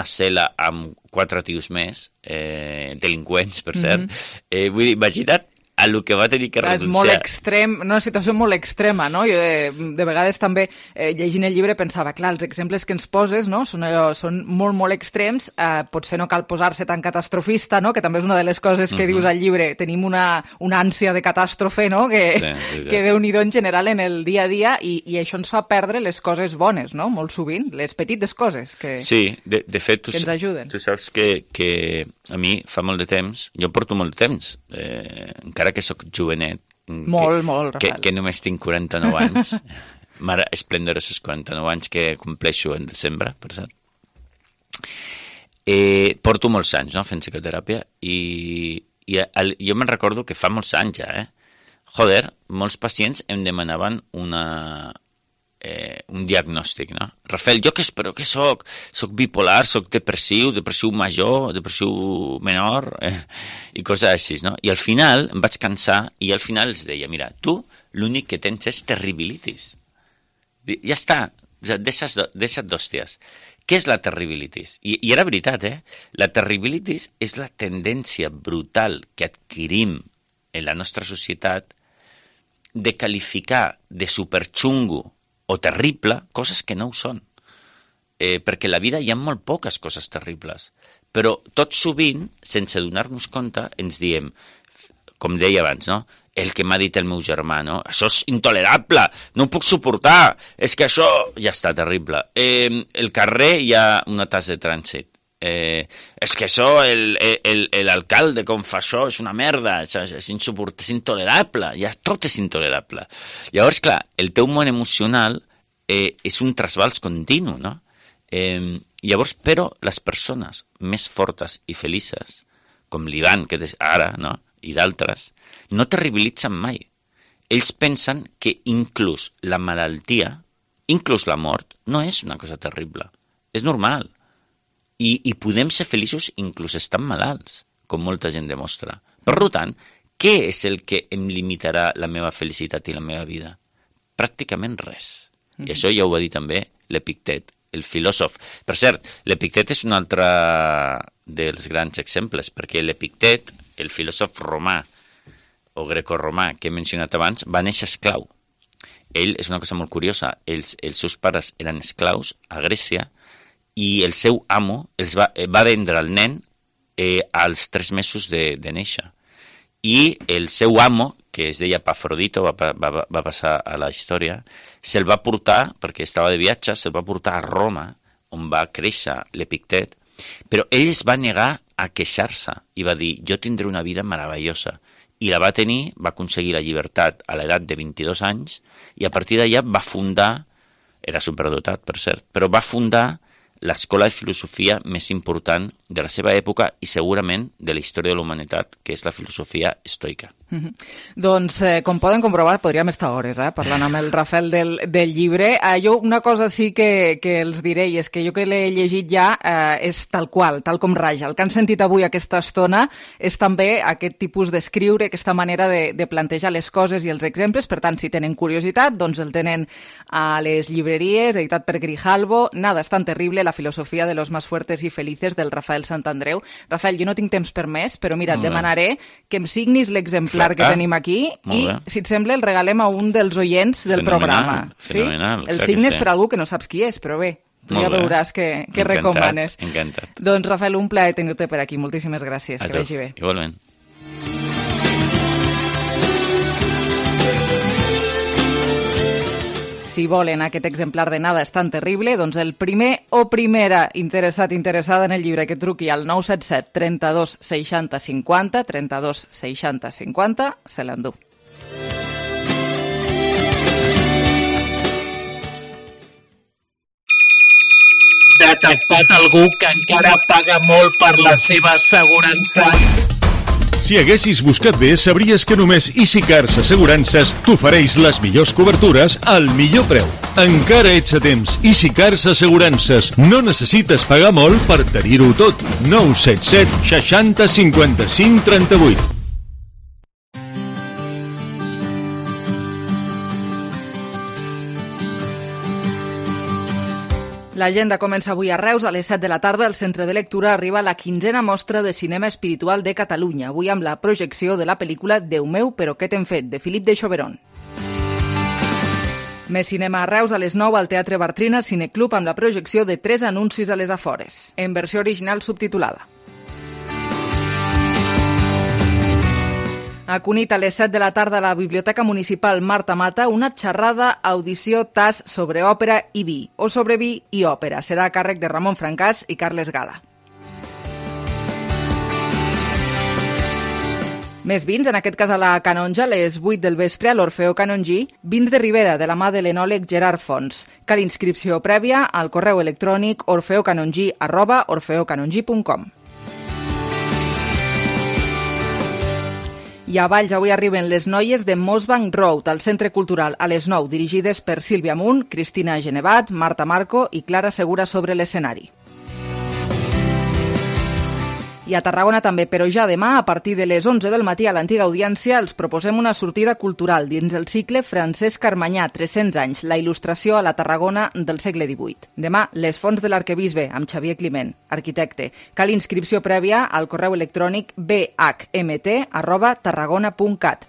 cel·la amb 4 tios més, delinqüents, per cert. Vull dir, imagina't a lo que va tenir que renunciar. És molt extrem, una situació molt extrema, no? Jo de vegades també, llegint el llibre, pensava, clar, els exemples que ens poses, no? Són molt, molt extrems, potser no cal posar-se tan catastrofista, no? Que també és una de les coses que dius al llibre, tenim una ànsia de catàstrofe, no? Que Déu-n'hi-do en general en el dia a dia, i això ens fa perdre les coses bones, no? Molt sovint, les petites coses que ens ajuden. Tu saps que a mi fa molt de temps, jo porto molt de temps, encara que sóc jovenet, que només tinc 49 anys, mare esplendorosos 49 anys que compleixo en desembre, per cert. Porto molts anys, no?, fent psicoteràpia, i jo me'n recordo que fa molts anys ja, joder, molts pacients em demanaven un diagnòstic, no? Rafael, jo què espero que soc? Soc bipolar, soc depressiu major, depressiu menor, i coses així, no? I al final em vaig cansar i al final els deia, mira, tu l'únic que tens és terribilitis. Ja està, deixa't d'hòsties. Què és la terribilitis? I era veritat, La terribilitis és la tendència brutal que adquirim en la nostra societat de qualificar de superxungo o terrible, coses que no ho són. Perquè a la vida hi ha molt poques coses terribles. Però tot sovint, sense donar-nos compte, ens diem, com deia abans, no? El que m'ha dit el meu germà, no? Això és intolerable, no ho puc suportar, és que això ja està terrible. El carrer hi ha una tassa de trànsit. És que això, l'alcalde com fa això, és una merda, és intolerable, ja tot és intolerable. Llavors, clar, el teu món emocional és un trasbals continu, no? Llavors, però, les persones més fortes i felices, com l'Ivan, que és ara, no?, i d'altres, no terribilitzen mai. Ells pensen que inclús la malaltia, inclús la mort, no és una cosa terrible, és normal. I podem ser feliços inclús estant malalts, com molta gent demostra. Per tant, què és el que em limitarà la meva felicitat i la meva vida? Pràcticament res. I això ja ho va dir també l'Epictet, el filòsof. Per cert, l'Epictet és un altre dels grans exemples, perquè l'Epictet, el filòsof romà o grecorromà que he mencionat abans, va néixer esclau. Ell, és una cosa molt curiosa, els seus pares eren esclaus a Grècia, i el seu amo va vendre el nen als 3 mesos de néixer. I el seu amo, que es deia Pafrodito, va passar a la història, se'l va portar, perquè estava de viatge, se'l va portar a Roma, on va créixer l'Epictet, però ell es va negar a queixar-se i va dir, jo tindré una vida meravellosa. I la va tenir, va aconseguir la llibertat a l'edat de 22 anys, i a partir d'allà va fundar, era superdotat, per cert, però va fundar l'escola de filosofia més important de la seva època i segurament de la història de la humanitat, que és la filosofia estoica. Doncs, com poden comprovar, podríem estar hores parlant amb el Rafael del llibre. Jo una cosa sí que els diré, i és que jo que l'he llegit ja és tal qual, tal com raja. El que han sentit avui aquesta estona és també aquest tipus d'escriure, aquesta manera de plantejar les coses i els exemples. Per tant, si tenen curiositat, doncs el tenen a les llibreries, editat per Grijalbo. Nada es tan terrible, la filosofia de los más fuertes y felices, del Rafael Santandreu. Rafael, jo no tinc temps per més, però mira, et demanaré que em signis l'exemplar que tenim aquí i, si et sembla, el regalem a un dels oients del programa. Fenomenal. El signes per algú que no saps qui és, però bé, tu ja veuràs què recomanes. Encantat. Doncs, Rafael, un plaer tenir-te per aquí. Moltíssimes gràcies. Que vagi bé. Igualment. Si volen aquest exemplar de Nada és tan terrible, doncs el primer o primera interessada en el llibre que truqui al 977 32 60 50, 32 60 50, se l'endú. Detectat algú que encara paga molt per la seva assegurança. Si haguessis buscat bé, sabries que només EasyCars Assegurances t'ofereix les millors cobertures al millor preu. Encara ets a temps. EasyCars Assegurances. No necessites pagar molt per tenir-ho tot. 977 60 55 38. L'agenda comença avui a Reus a les 7 de la tarda. Al Centre de Lectura arriba la 15a mostra de cinema espiritual de Catalunya, avui amb la projecció de la pel·lícula Déu meu, però què t'hem fet?, de Philip de Choberon. Més cinema a Reus a les 9 al Teatre Bartrina Cineclub amb la projecció de 3 anuncis a les afores, en versió original subtitulada. A Cunit, a les 7 de la tarda, a la Biblioteca Municipal Marta Mata, una xerrada, audició, tas sobre òpera i vi, o sobre vi i òpera. Serà a càrrec de Ramon Francàs i Carles Gala. Més vins, en aquest cas a la Canonja, a les 8 del vespre, a l'Orfeó Canongí, vins de Ribera, de la mà de l'enòleg Gerard Fons. Cal inscripció prèvia al correu electrònic orfeocanongí@orfeocanongí.com. I a Valls avui arriben les noies de Mossbank Road, al Centre Cultural, a les 9, dirigides per Sílvia Munt, Cristina Genevat, Marta Marco i Clara Segura sobre l'escenari. I a Tarragona també, però ja demà, a partir de les 11 del matí a l'antiga audiència, els proposem una sortida cultural dins el cicle Francesc Carmanyà, 300 anys, la il·lustració a la Tarragona del segle XVIII. Demà, les fonts de l'arquebisbe, amb Xavier Climent, arquitecte. Cal inscripció prèvia al correu electrònic bhmt@tarragona.cat.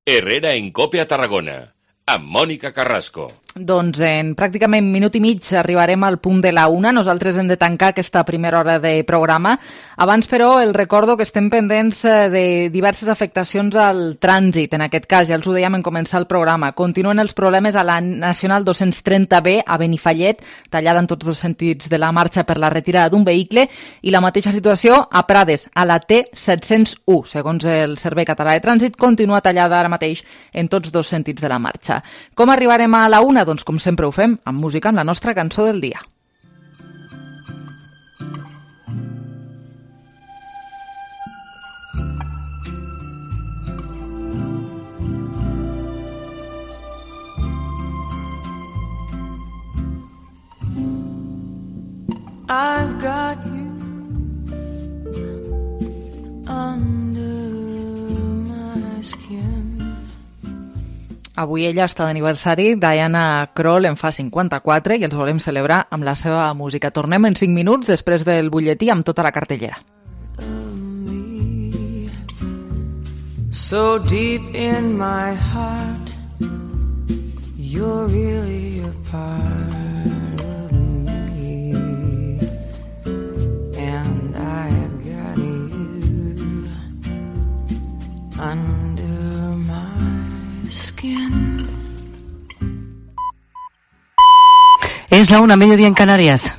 Herrera en Cope a Tarragona, amb Mònica Carrasco. Doncs en pràcticament minut i mig arribarem al punt de la 1. Nosaltres hem de tancar aquesta primera hora de programa. Abans, però, el recordo que estem pendents de diverses afectacions al trànsit. En aquest cas, ja els ho dèiem en començar el programa. Continuen els problemes a la Nacional 230B a Benifallet, tallada en tots dos sentits de la marxa per la retirada d'un vehicle, i la mateixa situació a Prades, a la T701. Segons el Servei Català de Trànsit, continua tallada ara mateix en tots dos sentits de la marxa. Com arribarem a la 1? Doncs com sempre ho fem, amb música, amb la nostra cançó del dia. I've got you under my skin. Avui ella està d'aniversari, Diana Krall en fa 54 i els volem celebrar amb la seva música. Tornem en 5 minuts després del butlletí amb tota la cartellera. So deep in my heart, you're really a part of me, and I've got you under my skin. Es la 1, mediodía en Canarias.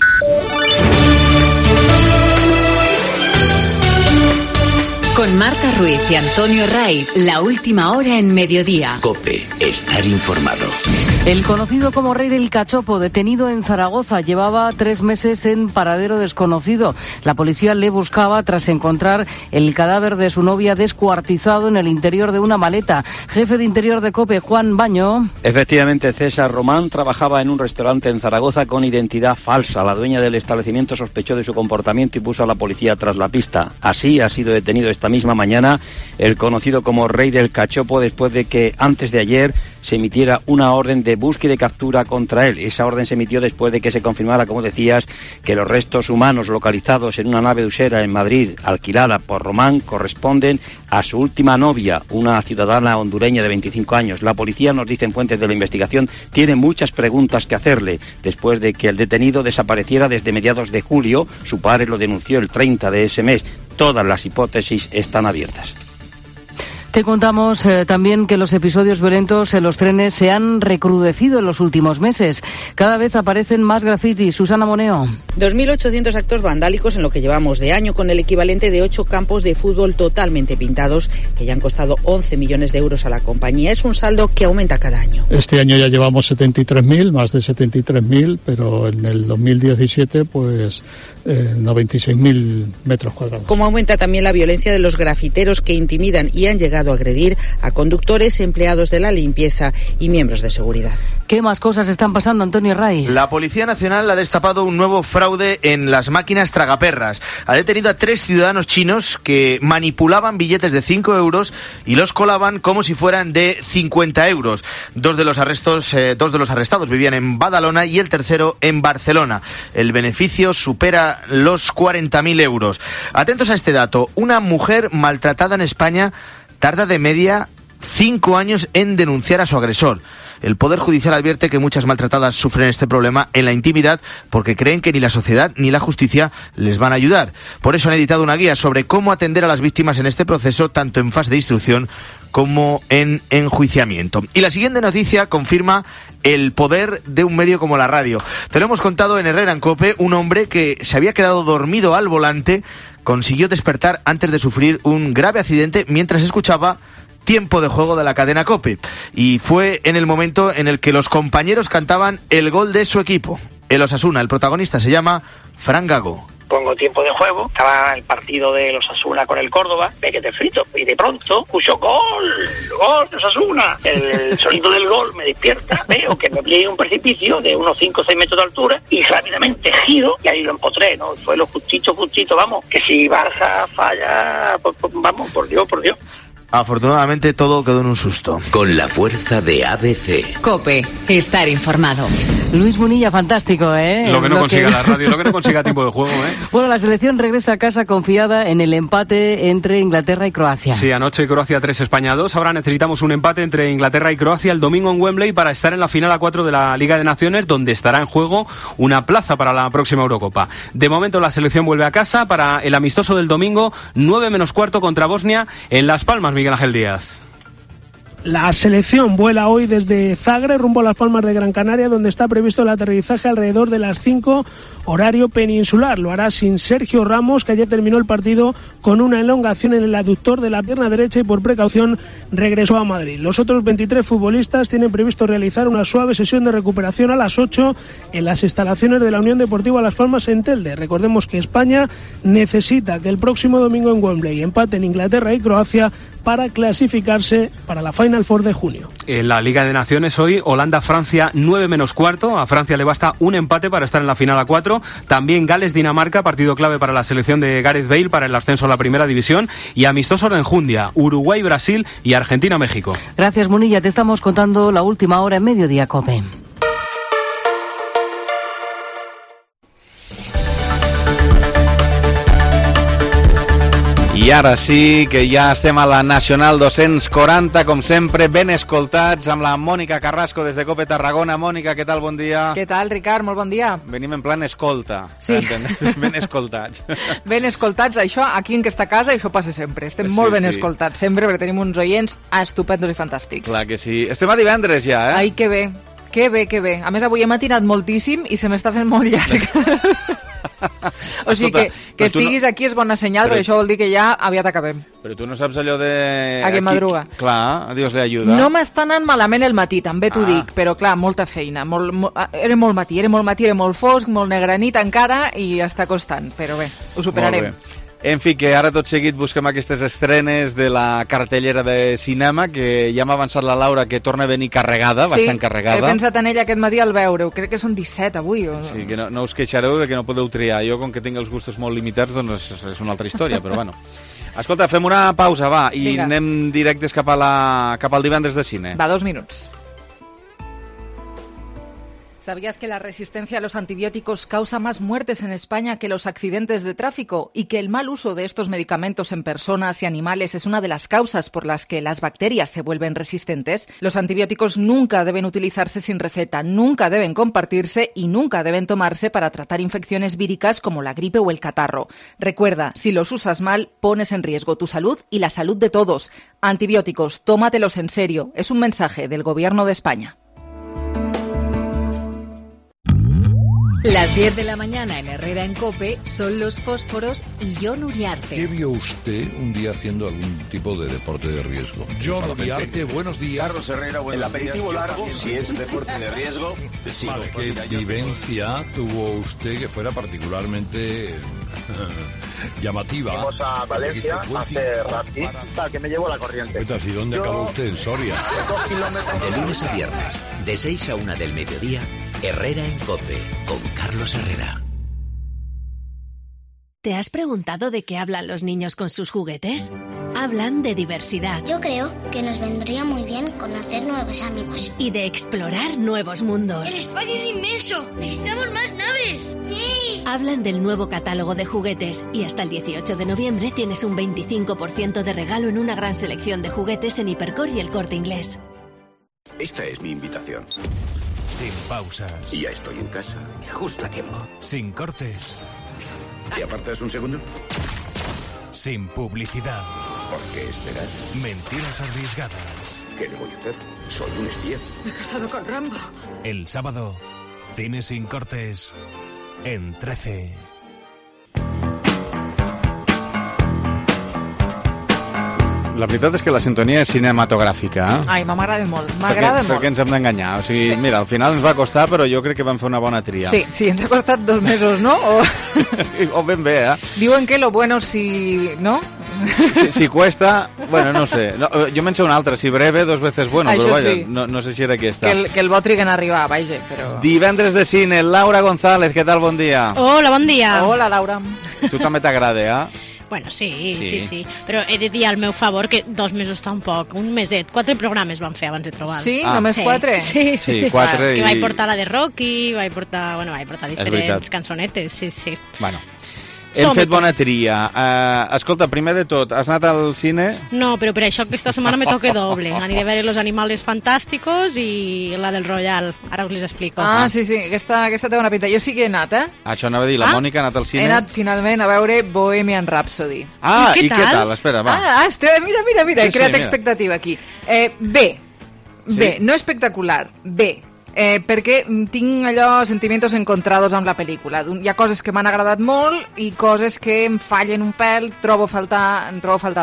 Con Marta Ruiz y Antonio Ray, la última hora en mediodía. COPE, estar informado. El conocido como Rey del Cachopo, detenido en Zaragoza, llevaba 3 meses en paradero desconocido. La policía le buscaba tras encontrar el cadáver de su novia descuartizado en el interior de una maleta. Jefe de Interior de COPE, Juan Baño. Efectivamente, César Román trabajaba en un restaurante en Zaragoza con identidad falsa. La dueña del establecimiento sospechó de su comportamiento y puso a la policía tras la pista. Así ha sido detenido esta misma mañana el conocido como Rey del Cachopo, después de que antes de ayer se emitiera una orden de búsqueda y captura contra él. Esa orden se emitió después de que se confirmara, como decías, que los restos humanos localizados en una nave usera en Madrid, alquilada por Román, corresponden a su última novia, una ciudadana hondureña de 25 años. La policía, nos dicen fuentes de la investigación, tiene muchas preguntas que hacerle. Después de que el detenido desapareciera desde mediados de julio, su padre lo denunció el 30 de ese mes. Todas las hipótesis están abiertas. Te contamos también que los episodios violentos en los trenes se han recrudecido en los últimos meses. Cada vez aparecen más grafitis. Susana Moneo. 2.800 actos vandálicos en lo que llevamos de año, con el equivalente de 8 campos de fútbol totalmente pintados, que ya han costado 11 millones de euros a la compañía. Es un saldo que aumenta cada año. Este año ya llevamos 73.000, más de 73.000, pero en el 2017, pues 96.000 metros cuadrados. Como aumenta también la violencia de los grafiteros que intimidan y han llegado a agredir a conductores, empleados de la limpieza y miembros de seguridad. ¿Qué más cosas están pasando, Antonio Raiz? La Policía Nacional ha destapado un nuevo fraude en las máquinas tragaperras. Ha detenido a 3 ciudadanos chinos que manipulaban billetes de 5 euros y los colaban como si fueran de 50 euros. Dos de los arrestados vivían en Badalona y el tercero en Barcelona. El beneficio supera los 40.000 euros. Atentos a este dato. Una mujer maltratada en España tarda de media 5 años en denunciar a su agresor. El Poder Judicial advierte que muchas maltratadas sufren este problema en la intimidad porque creen que ni la sociedad ni la justicia les van a ayudar. Por eso han editado una guía sobre cómo atender a las víctimas en este proceso, tanto en fase de instrucción como en enjuiciamiento. Y la siguiente noticia confirma el poder de un medio como la radio. Te lo hemos contado en Herrera en COPE. Un hombre que se había quedado dormido al volante consiguió despertar antes de sufrir un grave accidente mientras escuchaba Tiempo de Juego de la cadena COPE. Y fue en el momento en el que los compañeros cantaban el gol de su equipo, el Osasuna. El protagonista se llama Fran Gago. Pongo Tiempo de Juego, estaba el partido de los Osasuna con el Córdoba, pequete frito, y de pronto escucho gol de Osasuna. El sonido del gol me despierta, veo que me pliegue un precipicio de unos 5 o 6 metros de altura y rápidamente giro y ahí lo empotré, ¿no? Fue lo justito, vamos, que si Barça falla, pues, vamos, por Dios. Afortunadamente todo quedó en un susto. Con la fuerza de ABC. COPE, estar informado. Luis Munilla, fantástico, ¿eh? Lo que no consiga la radio, lo que no consiga Tiempo de Juego, ¿eh? Bueno, la selección regresa a casa confiada en el empate entre Inglaterra y Croacia. Sí, anoche Croacia 3, España 2. Ahora necesitamos un empate entre Inglaterra y Croacia el domingo en Wembley para estar en la final a 4 de la Liga de Naciones, donde estará en juego una plaza para la próxima Eurocopa. De momento la selección vuelve a casa para el amistoso del domingo, 9 menos cuarto contra Bosnia en Las Palmas, Miguel Ángel Díaz. La selección vuela hoy desde Zagreb rumbo a Las Palmas de Gran Canaria, donde está previsto el aterrizaje alrededor de las 5, horario peninsular. Lo hará sin Sergio Ramos, que ayer terminó el partido con una elongación en el aductor de la pierna derecha y por precaución regresó a Madrid. Los otros 23 futbolistas tienen previsto realizar una suave sesión de recuperación a las 8 en las instalaciones de la Unión Deportiva Las Palmas en Telde. Recordemos que España necesita que el próximo domingo en Wembley empaten Inglaterra y Croacia para clasificarse para la Final Four de junio. En la Liga de Naciones hoy, Holanda-Francia 9 menos cuarto. A Francia le basta un empate para estar en la final a 4. También Gales-Dinamarca, partido clave para la selección de Gareth Bale para el ascenso a la primera división. Y amistosos de enjundia, Uruguay-Brasil y Argentina-México. Gracias, Munilla. Te estamos contando la última hora en Mediodía COPE. I ara sí que ja estem a la Nacional 240, com sempre, ben escoltats, amb la Mònica Carrasco des de COPE Tarragona. Mònica, què tal? Bon dia. Què tal, Ricard? Molt bon dia. Venim en plan escolta. Sí. Ben escoltats. Ben escoltats, això, aquí en aquesta casa, això passa sempre. Estem molt ben escoltats sempre, perquè tenim uns oients estupendos i fantàstics. Clar que sí. Estem a divendres ja, eh? Ai, que bé. Que bé, que bé. A més, avui he matinat moltíssim i se m'està fent molt llarg. O sigui que estiguis aquí és bona senyal, perquè això vol dir que ja aviat acabem. Però tu no saps allò de... A que madruga. Clar, Dios le ayuda. No m'està anant malament el matí, també t'ho dic, però clar, molta feina. Era molt matí, era molt fosc, molt negra nit encara i està costant, però bé, ho superarem. En fi, que ara tot seguit busquem aquestes estrenes de la cartellera de cinema, que ja m'ha avançat la Laura que torna a venir carregada, bastant carregada. Sí, he pensat en ella aquest matí al veure-ho, crec que són 17 avui. Sí, que no us queixareu de que no podeu triar. Jo, com que tinc els gustos molt limitats, doncs és una altra història, però bueno. Escolta, fem una pausa, va, i anem directes cap al divendres de cine. Va, 2 minuts. ¿Sabías que la resistencia a los antibióticos causa más muertes en España que los accidentes de tráfico y que el mal uso de estos medicamentos en personas y animales es una de las causas por las que las bacterias se vuelven resistentes? Los antibióticos nunca deben utilizarse sin receta, nunca deben compartirse y nunca deben tomarse para tratar infecciones víricas como la gripe o el catarro. Recuerda, si los usas mal, pones en riesgo tu salud y la salud de todos. Antibióticos, tómatelos en serio. Es un mensaje del Gobierno de España. Las 10 de la mañana en Herrera en COPE son Los Fósforos y Jon Uriarte. ¿Qué vio usted un día haciendo algún tipo de deporte de riesgo? Jon Uriarte, buenos días. Carlos Herrera, buenos días. El aperitivo largo, si es deporte de riesgo. Sí, vale, ¿qué vivencia tuvo usted que fuera particularmente llamativa? Fuimos a Valencia a hacer rafting, que me llevó la corriente. ¿Y dónde acabó usted? ¿En Soria? 2 kilómetros. De lunes a viernes, de 6 a 1 del mediodía, Herrera en COPE, con Carlos Herrera. ¿Te has preguntado de qué hablan los niños con sus juguetes? Hablan de diversidad. Yo creo que nos vendría muy bien conocer nuevos amigos. Y de explorar nuevos mundos. ¡El espacio es inmenso! ¡Necesitamos más naves! ¡Sí! Hablan del nuevo catálogo de juguetes y hasta el 18 de noviembre tienes un 25% de regalo en una gran selección de juguetes en Hipercor y El Corte Inglés. Esta es mi invitación. Sin pausas. Y ya estoy en casa. Justo a tiempo. Sin cortes. ¿Y apartas un segundo? Sin publicidad. ¿Por qué esperar? Mentiras arriesgadas. ¿Qué le voy a hacer? Soy un espía. Me he casado con Rambo. El sábado, Cine sin cortes en 13. La veritat és que la sintonia és cinematogràfica. Ai, m'agrada molt, m'agrada molt. Per què ens hem d'enganyar? O sigui, mira, al final ens va costar, però jo crec que vam fer una bona tria. Sí, ens ha costat 2 mesos, no? O ben bé, eh? Diuen que lo bueno si... ¿no? Si cuesta, bueno, no sé. No, jo me'n sé una altra, si breve, 2 veces bueno, això però vaja, sí. no sé si era aquesta. Que el bo triguen a arribar, vaja, però... Divendres de cine, Laura González, què tal? Bon dia. Hola, bon dia. Hola, Laura. Tu també t'agrada, eh? Bueno, sí, però he de dir al meu favor que 2 mesos tampoc, un meset, 4 programes van fer abans de trobar. Sí? Només 4? Sí, 4 i... vaig portar la de Rocky, vaig portar diferents cançonetes, sí. Bueno, hem fet bona tria. Escolta, primer de tot, has anat al cine? No, però per això aquesta setmana me toca doble. Aniré a veure Los Animales Fantásticos i la del Royal. Ara us les explico. Ah, sí, aquesta té bona pinta. Jo sí que he anat, eh? Això anava a dir, la Mònica ha anat al cine? He anat finalment a veure Bohemian Rhapsody. Ah, i què tal? Espera, va. Mira, he creat expectativa aquí. Bé, no espectacular, bé. Perquè tinc allò sentiments encontrados amb la pel·lícula. Hi ha coses que m'han agradat molt i coses que em fallen un pèl, em trobo faltar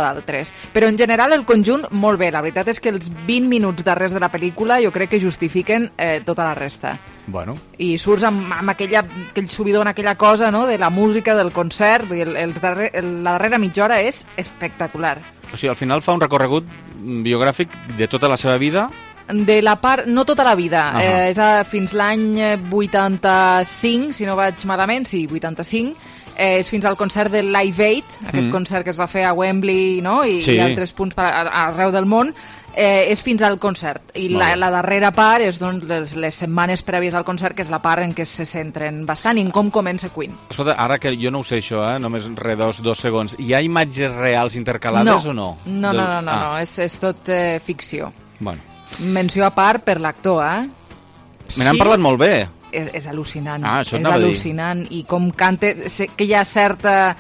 d'altres. Però en general el conjunt molt bé. La veritat és que els 20 minuts darrers de la pel·lícula jo crec que justifiquen tota la resta. Bueno. I surts amb aquell subidor, aquella cosa, no?, de la música, del concert. La darrera mitja hora és espectacular. O sigui, al final fa un recorregut biogràfic de tota la seva vida. De la part, no tota la vida, és fins l'any 85, si no vaig malament, sí, 85, és fins al concert del Live Aid, aquest concert que es va fer a Wembley, no?, i altres punts arreu del món, és fins al concert. I la darrera part és doncs, les setmanes prèvies al concert, que és la part en què se centren bastant i en com comença Queen. Escolta, ara que jo no ho sé això, només dos segons, hi ha imatges reals intercalades o no? No, és tot ficció. Bueno. Menció a part per l'actor, Me n'han parlat molt bé. És al·lucinant. Això és al·lucinant. I com canta, sé que hi ha certa...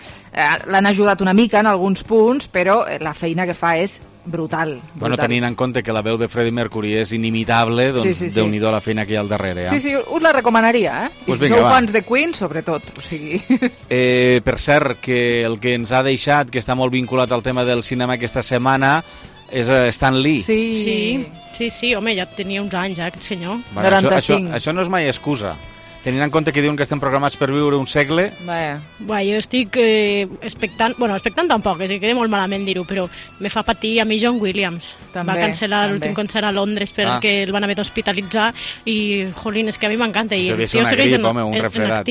l'han ajudat una mica en alguns punts, però la feina que fa és brutal. Bueno, tenint en compte que la veu de Freddie Mercury és inimitable, doncs sí. Déu-n'hi-do la feina que hi ha al darrere. Sí, us la recomanaria, Pues I si vinga, sou va. fans de Queen, sobretot. O sigui... Per cert, que el que ens ha deixat, que està molt vinculat al tema del cinema aquesta setmana, és Stan Lee. Sí, home, ja tenia uns anys, aquest senyor. Bueno, 95. Això no és mai excusa. Tenint en compte que diuen que estem programats per viure un segle... Jo estic expectant... Bueno, expectant tampoc, és que queda molt malament dir-ho, però me fa patir a mi John Williams. Va cancel·lar l'últim concert a Londres perquè el van haver d'hospitalitzar i, jolín, és que a mi m'encanta. I devia ser una grip, home, un refredat.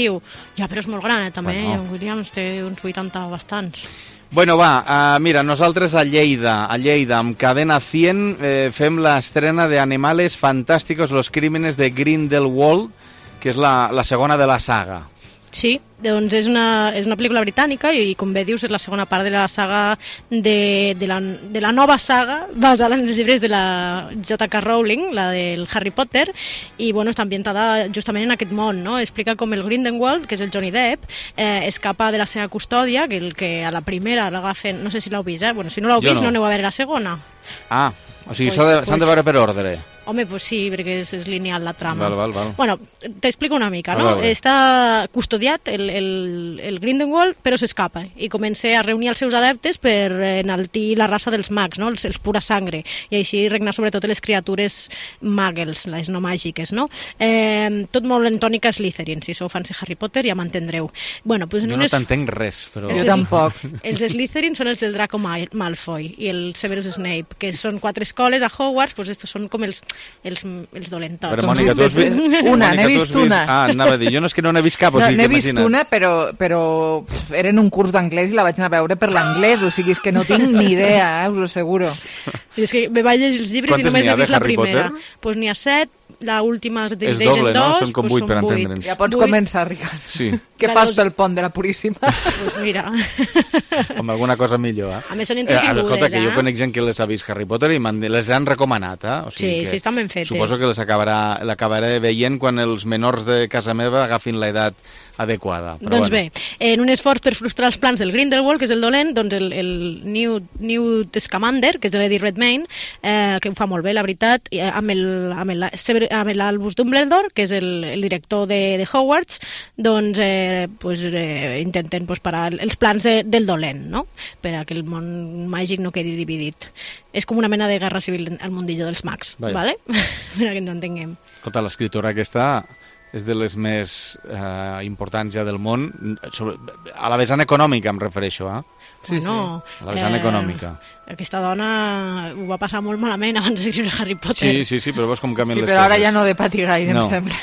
Ja, però és molt gran, també. John Williams té uns 80 bastants. Bueno, va, mira, nosaltres a Lleida, amb Cadena 100, fem l'estrena de Animales Fantásticos, los crímenes de Grindelwald, que és la segona de la saga. Sí, doncs és una pel·lícula britànica i, com bé dius, és la segona part de la saga de la nova saga basada en els llibres de la J.K. Rowling, la del Harry Potter, i bueno, està ambientada justament en aquest món, no? Explica com el Grindelwald, que és el Johnny Depp, escapa de la seva custòdia, que a la primera l'agafen, no sé si l'heu vist, Bueno, si no l'heu vist, no aneu a veure la segona. O sigui, s'han de veure per ordre. Home, pues sí, perquè és lineal la trama. Val. Bueno, t'explico una mica, no? Està custodiat el Grindelwald, però s'escapa i comença a reunir els seus adeptes per enaltir la raça dels mags, no? Els pura sangre, i així regnar sobretot les criatures muggles, les no màgiques, no? Tot molt en tònica Slytherin, si sou fans de Harry Potter ja m'entendreu. Bueno, pues jo no t'entenc res, però... Jo tampoc. Els Slytherin són els del Draco Malfoy i el Severus Snape, que són 4 escoles a Hogwarts, pues estos són com els dolentots. Però, Mònica, tu has vist... N'he vist una. Anava a dir, jo no és que no n'he vist cap, o sigui, n'he vist una, però era en un curs d'anglès i la vaig anar a veure per l'anglès, o sigui, és que no tinc ni idea, us ho asseguro. És que me vaig llegir els llibres i només he vist la primera. Doncs n'hi ha 7, l'última Division 2, no? Són com 8 per entendre'ns. Ja pots començar, Ricard. Sí. Què fas pel pont de la Puríssima? Doncs mira. Com alguna cosa millor, A més són entretingudes, Escolta, que jo conec gent que les ha vist Harry Potter i les han recomanat, O sigui sí, estan ben fetes. Suposo que l'acabaré veient quan els menors de casa meva agafin l'edat adequada. Doncs bé, en un esforç per frustrar els plans del Grindelwald, que és el dolent, doncs el Newt Scamander, que és l'Eddie Redmayne, que ho fa molt bé, la veritat, amb l'Albus Dumbledore, que és el director de Hogwarts, doncs intenten parar els plans del dolent, no? Per a que el món màgic no quedi dividit. És com una mena de guerra civil al mundillo dels mags, ¿vale? Per a que ens entenguem. Escolta, l'escriptora aquesta és de les més importants ja del món, a la vessant econòmica em refereixo, Sí. A la vessant econòmica. Aquesta dona ho va passar molt malament abans d'escriure Harry Potter. Sí, però veus com canvien les coses. Sí, però ara ja no de patir gaire, em sembla.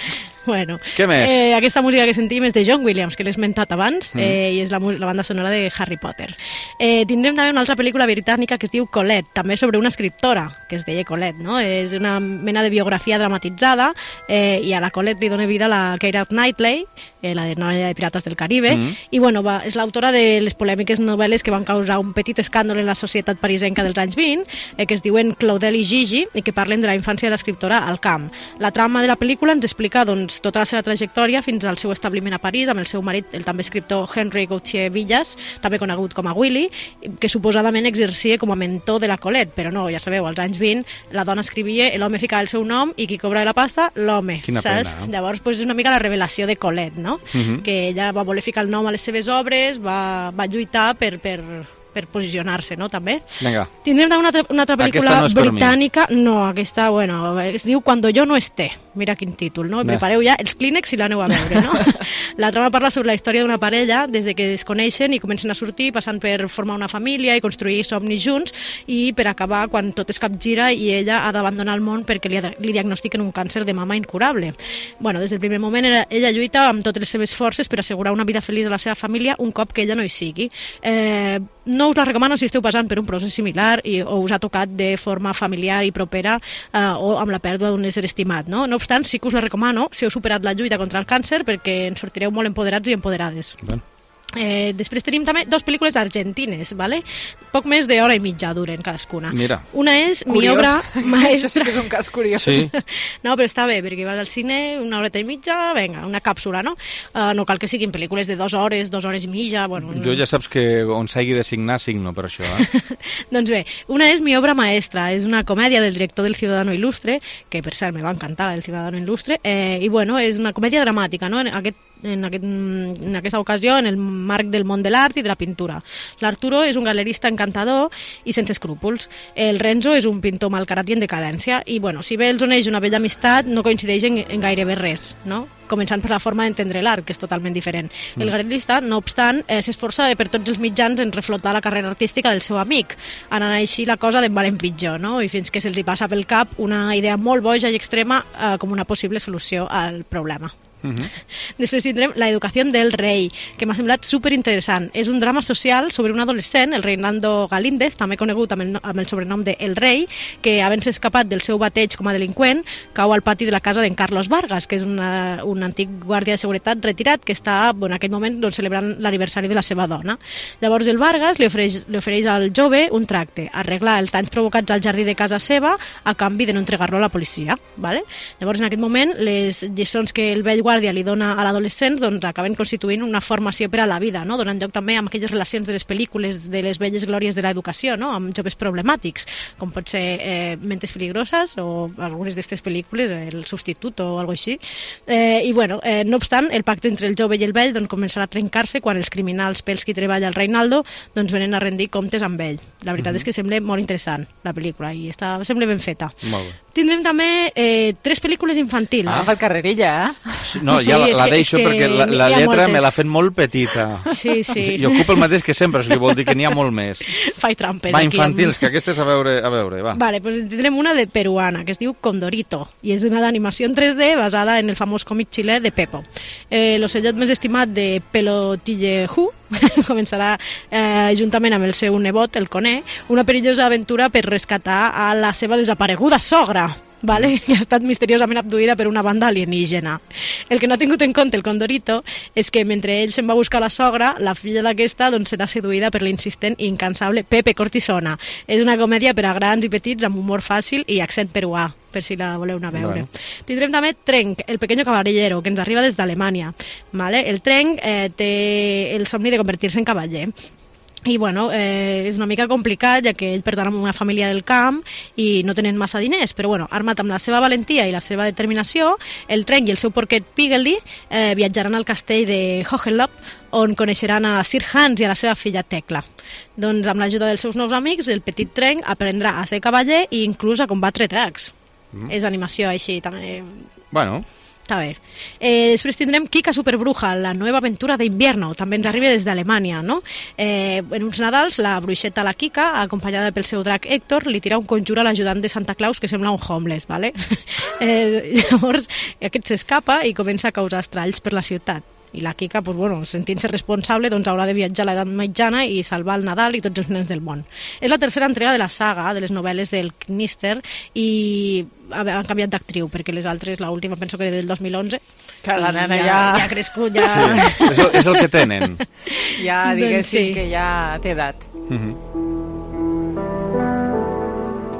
Bueno, què més? Aquesta música que sentim és de John Williams, que l'he esmentat abans, i és la banda sonora de Harry Potter. Tindrem també una altra pel·lícula britànica que es diu Colette, també sobre una escriptora, que es deia Colette, no? És una mena de biografia dramatitzada, i a la Colette li dona vida la Keira Knightley, la de Novella de Pirates del Caribe, i bueno, és l'autora de les polèmiques novel·les que van causar un petit escàndol en la societat parisenca dels anys 20, que es diuen Claudel i Gigi, i que parlen de la infància de l'escriptora al camp. La trama de la pel·lícula ens explica tota la seva trajectòria fins al seu establiment a París amb el seu marit, el també escriptor Henry Gauthier Villas, també conegut com a Willy, que suposadament exercia com a mentor de la Colette, però no, ja sabeu, als anys 20 la dona escrivia, l'home ficava el seu nom i qui cobra la pasta, l'home. Quina saps? pena, Llavors, és una mica la revelació de Colette, no? Que ella va voler ficar el nom a les seves obres, va lluitar per posicionar-se, no, també? Vinga. Tindrem una altra pel·lícula britànica. No, aquesta, bueno, es diu Cuando yo no esté. Mira quin títol, no? Prepareu ja els clínex i l'aneu a veure, no? La trama parla sobre la història d'una parella des de que es coneixen i comencen a sortir, passant per formar una família i construir somnis junts, i per acabar quan tot es capgira i ella ha d'abandonar el món perquè li diagnostiquen un càncer de mama incurable. Bueno, des del primer moment ella lluita amb totes les seves forces per assegurar una vida feliç a la seva família un cop que ella no hi sigui. No us la recomano si esteu passant per un procés similar o us ha tocat de forma familiar i propera o amb la pèrdua d'un ésser estimat, no? No obstant, sí que us la recomano si heu superat la lluita contra el càncer perquè en sortireu molt empoderats i empoderades. Després tenim també 2 pel·lícules argentines, ¿vale? poc més d'hora i mitja duren cadascuna. Mira. Una és Curiós. mi obra maestra. Això sí que és un cas curiós. Sí. No, però està bé, perquè vas al cine una horeta i mitja, vinga, una càpsula, no? No cal que siguin pel·lícules de 2 hores, 2 hores i mitja... Bueno, Jo ja saps que on s'hagi de signar, signo per això, Doncs bé, una és mi obra maestra, és una comèdia del director del Ciudadano Ilustre, que per cert me va encantar, el Ciudadano Ilustre, i bueno, és una comèdia dramàtica, no? En aquesta ocasió en el marc del món de l'art i de la pintura. L'Arturo és un galerista encantador i sense escrúpols. El Renzo és un pintor malcarat i en decadència i bueno, si bé els uneix una bella amistat no coincideix en gairebé res, no? Començant per la forma d'entendre l'art, que és totalment diferent. El galerista, no obstant, s'esforça per tots els mitjans en reflotar la carrera artística del seu amic, anant així la cosa de mal en pitjor, no? I fins que se'ls hi passa pel cap una idea molt boja i extrema com una possible solució al problema. Després tindrem La educació del rei, que m'ha semblat superinteressant. És un drama social sobre un adolescent, el Reinaldo Galíndez, també conegut amb el sobrenom de El Rei, que havent-se escapat del seu bateig com a delinqüent, cau al pati de la casa d'en Carlos Vargas, que és un antic guàrdia de seguretat retirat que està en aquell moment celebrant l'aniversari de la seva dona. Llavors el Vargas li ofereix al jove un tracte, arreglar els danys provocats al jardí de casa seva a canvi de no entregar-lo a la policia. Vale? Llavors en aquest moment les lliçons que el vell guàrdia li dona a l'adolescent doncs acaben constituint una formació per a la vida, no? Donant lloc també amb aquelles relacions de les pel·lícules de les velles glòries de l'educació, no? Amb joves problemàtics, com pot ser Mentes peligroses o algunes d'aquestes pel·lícules, El substitut o alguna cosa així. I bueno, no obstant, el pacte entre el jove i el vell doncs, començarà a trencar-se quan els criminals pels qui treballa el Reinaldo doncs, venen a rendir comptes amb ell. La veritat és que sembla molt interessant la pel·lícula i sembla ben feta. Molt bé. Tindrem també 3 pel·lícules infantils. Ha fet carrerilla, No, ja la deixo perquè la lletra me l'ha fet molt petita. Sí. I ocupa el mateix que sempre, o sigui, vol dir que n'hi ha molt més. Faig trampes. Va, infantils, que aquestes a veure, va. Vale, pues tindrem una de peruana, que es diu Condorito, i és una d'animació en 3D basada en el famós còmic xilè de Pepo. L'ocellot més estimat de Pelotillejú començarà juntament amb el seu nebot, el Coné, una perillosa aventura per rescatar a la seva desapareguda sogra, vale? Que ha estat misteriosament abduïda per una banda alienígena. El que no ha tingut en compte el Condorito és que mentre ell se'n va buscar la sogra, la filla d'aquesta doncs, serà seduïda per l'insistent i incansable Pepe Cortisona. És una comèdia per a grans i petits amb humor fàcil i accent peruà, per si la voleu anar a veure. Tindrem també Trenc, el pequeño caballero, que ens arriba des d'Alemanya. Vale? El Trenc té el somni de convertir-se en cavaller. I bueno, és una mica complicat ja que ell pertany a una família del camp i no tenen massa diners, però bueno, armat amb la seva valentia i la seva determinació, el Trenc i el seu porquet Piggledy viatjaran al castell de Hohenlohe, on coneixeran a Sir Hans i a la seva filla Tecla. Doncs amb l'ajuda dels seus nous amics, el petit Trenc aprendrà a ser cavaller i inclús a combatre dracs. És animació així també. Bueno, està bé. Després tindrem Kika Superbruja, la nova aventura d'invierno, també ens arriba des d'Alemanya, no? En uns Nadals, la bruixeta la Kika, acompanyada pel seu drac Héctor, li tira un conjur a l'ajudant de Santa Claus que sembla un homeless, ¿vale? Llavors, aquest s'escapa i comença a causar estralls per la ciutat. I la Kika, pues, bueno, sentint-se responsable, doncs haurà de viatjar a l'edat mitjana i salvar el Nadal i tots els nens del món. És la tercera entrega de la saga, de les novel·les del Knister, i han canviat d'actriu, perquè les altres, l'última penso que era del 2011. Que la nena ja ha crescut, ja... Sí, és el que tenen. Ja, diguéssim que ja té edat.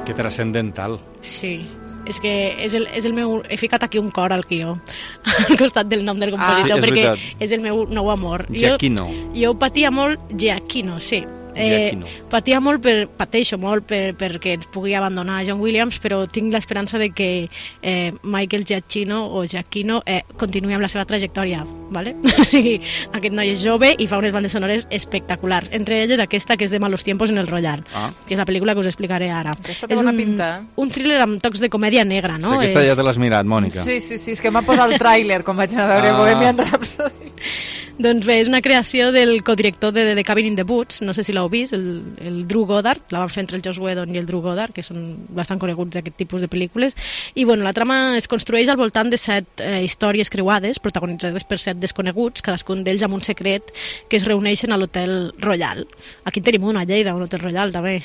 Que transcendental. Sí. És que és el meu... He ficat aquí un cor al guió, al costat del nom del compositor, perquè és el meu nou amor. Giacchino. Jo patia molt... Giacchino, sí. Pateixo molt perquè ens pugui abandonar John Williams, però tinc l'esperança de que Michael Giacchino o Giacchino continuï amb la seva trajectòria, ¿vale? O sigui, aquest noi és jove i fa unes bandes sonores espectaculars, entre elles aquesta que és de Malos tiempos en el Royal, que és la pel·lícula que us explicaré ara. Aquesta té bona pinta. Un thriller amb tocs de comèdia negra, no? Aquesta ja te l'has mirat, Mònica. Sí, és que m'ha posat el tràiler quan vaig anar a veure Bohemian Rhapsody. Doncs bé, és una creació del codirector de The Cabin in the Woods, no sé si l'heu vist, el Drew Goddard, la van fer entre el Joss Whedon i el Drew Goddard, que són bastant coneguts d'aquest tipus de pel·lícules, i bueno, la trama es construeix al voltant de 7 històries creuades, protagonitzades per 7 desconeguts, cadascun d'ells amb un secret, que es reuneixen a l'Hotel Royal. Aquí en tenim una a Lleida, un Hotel Royal, també.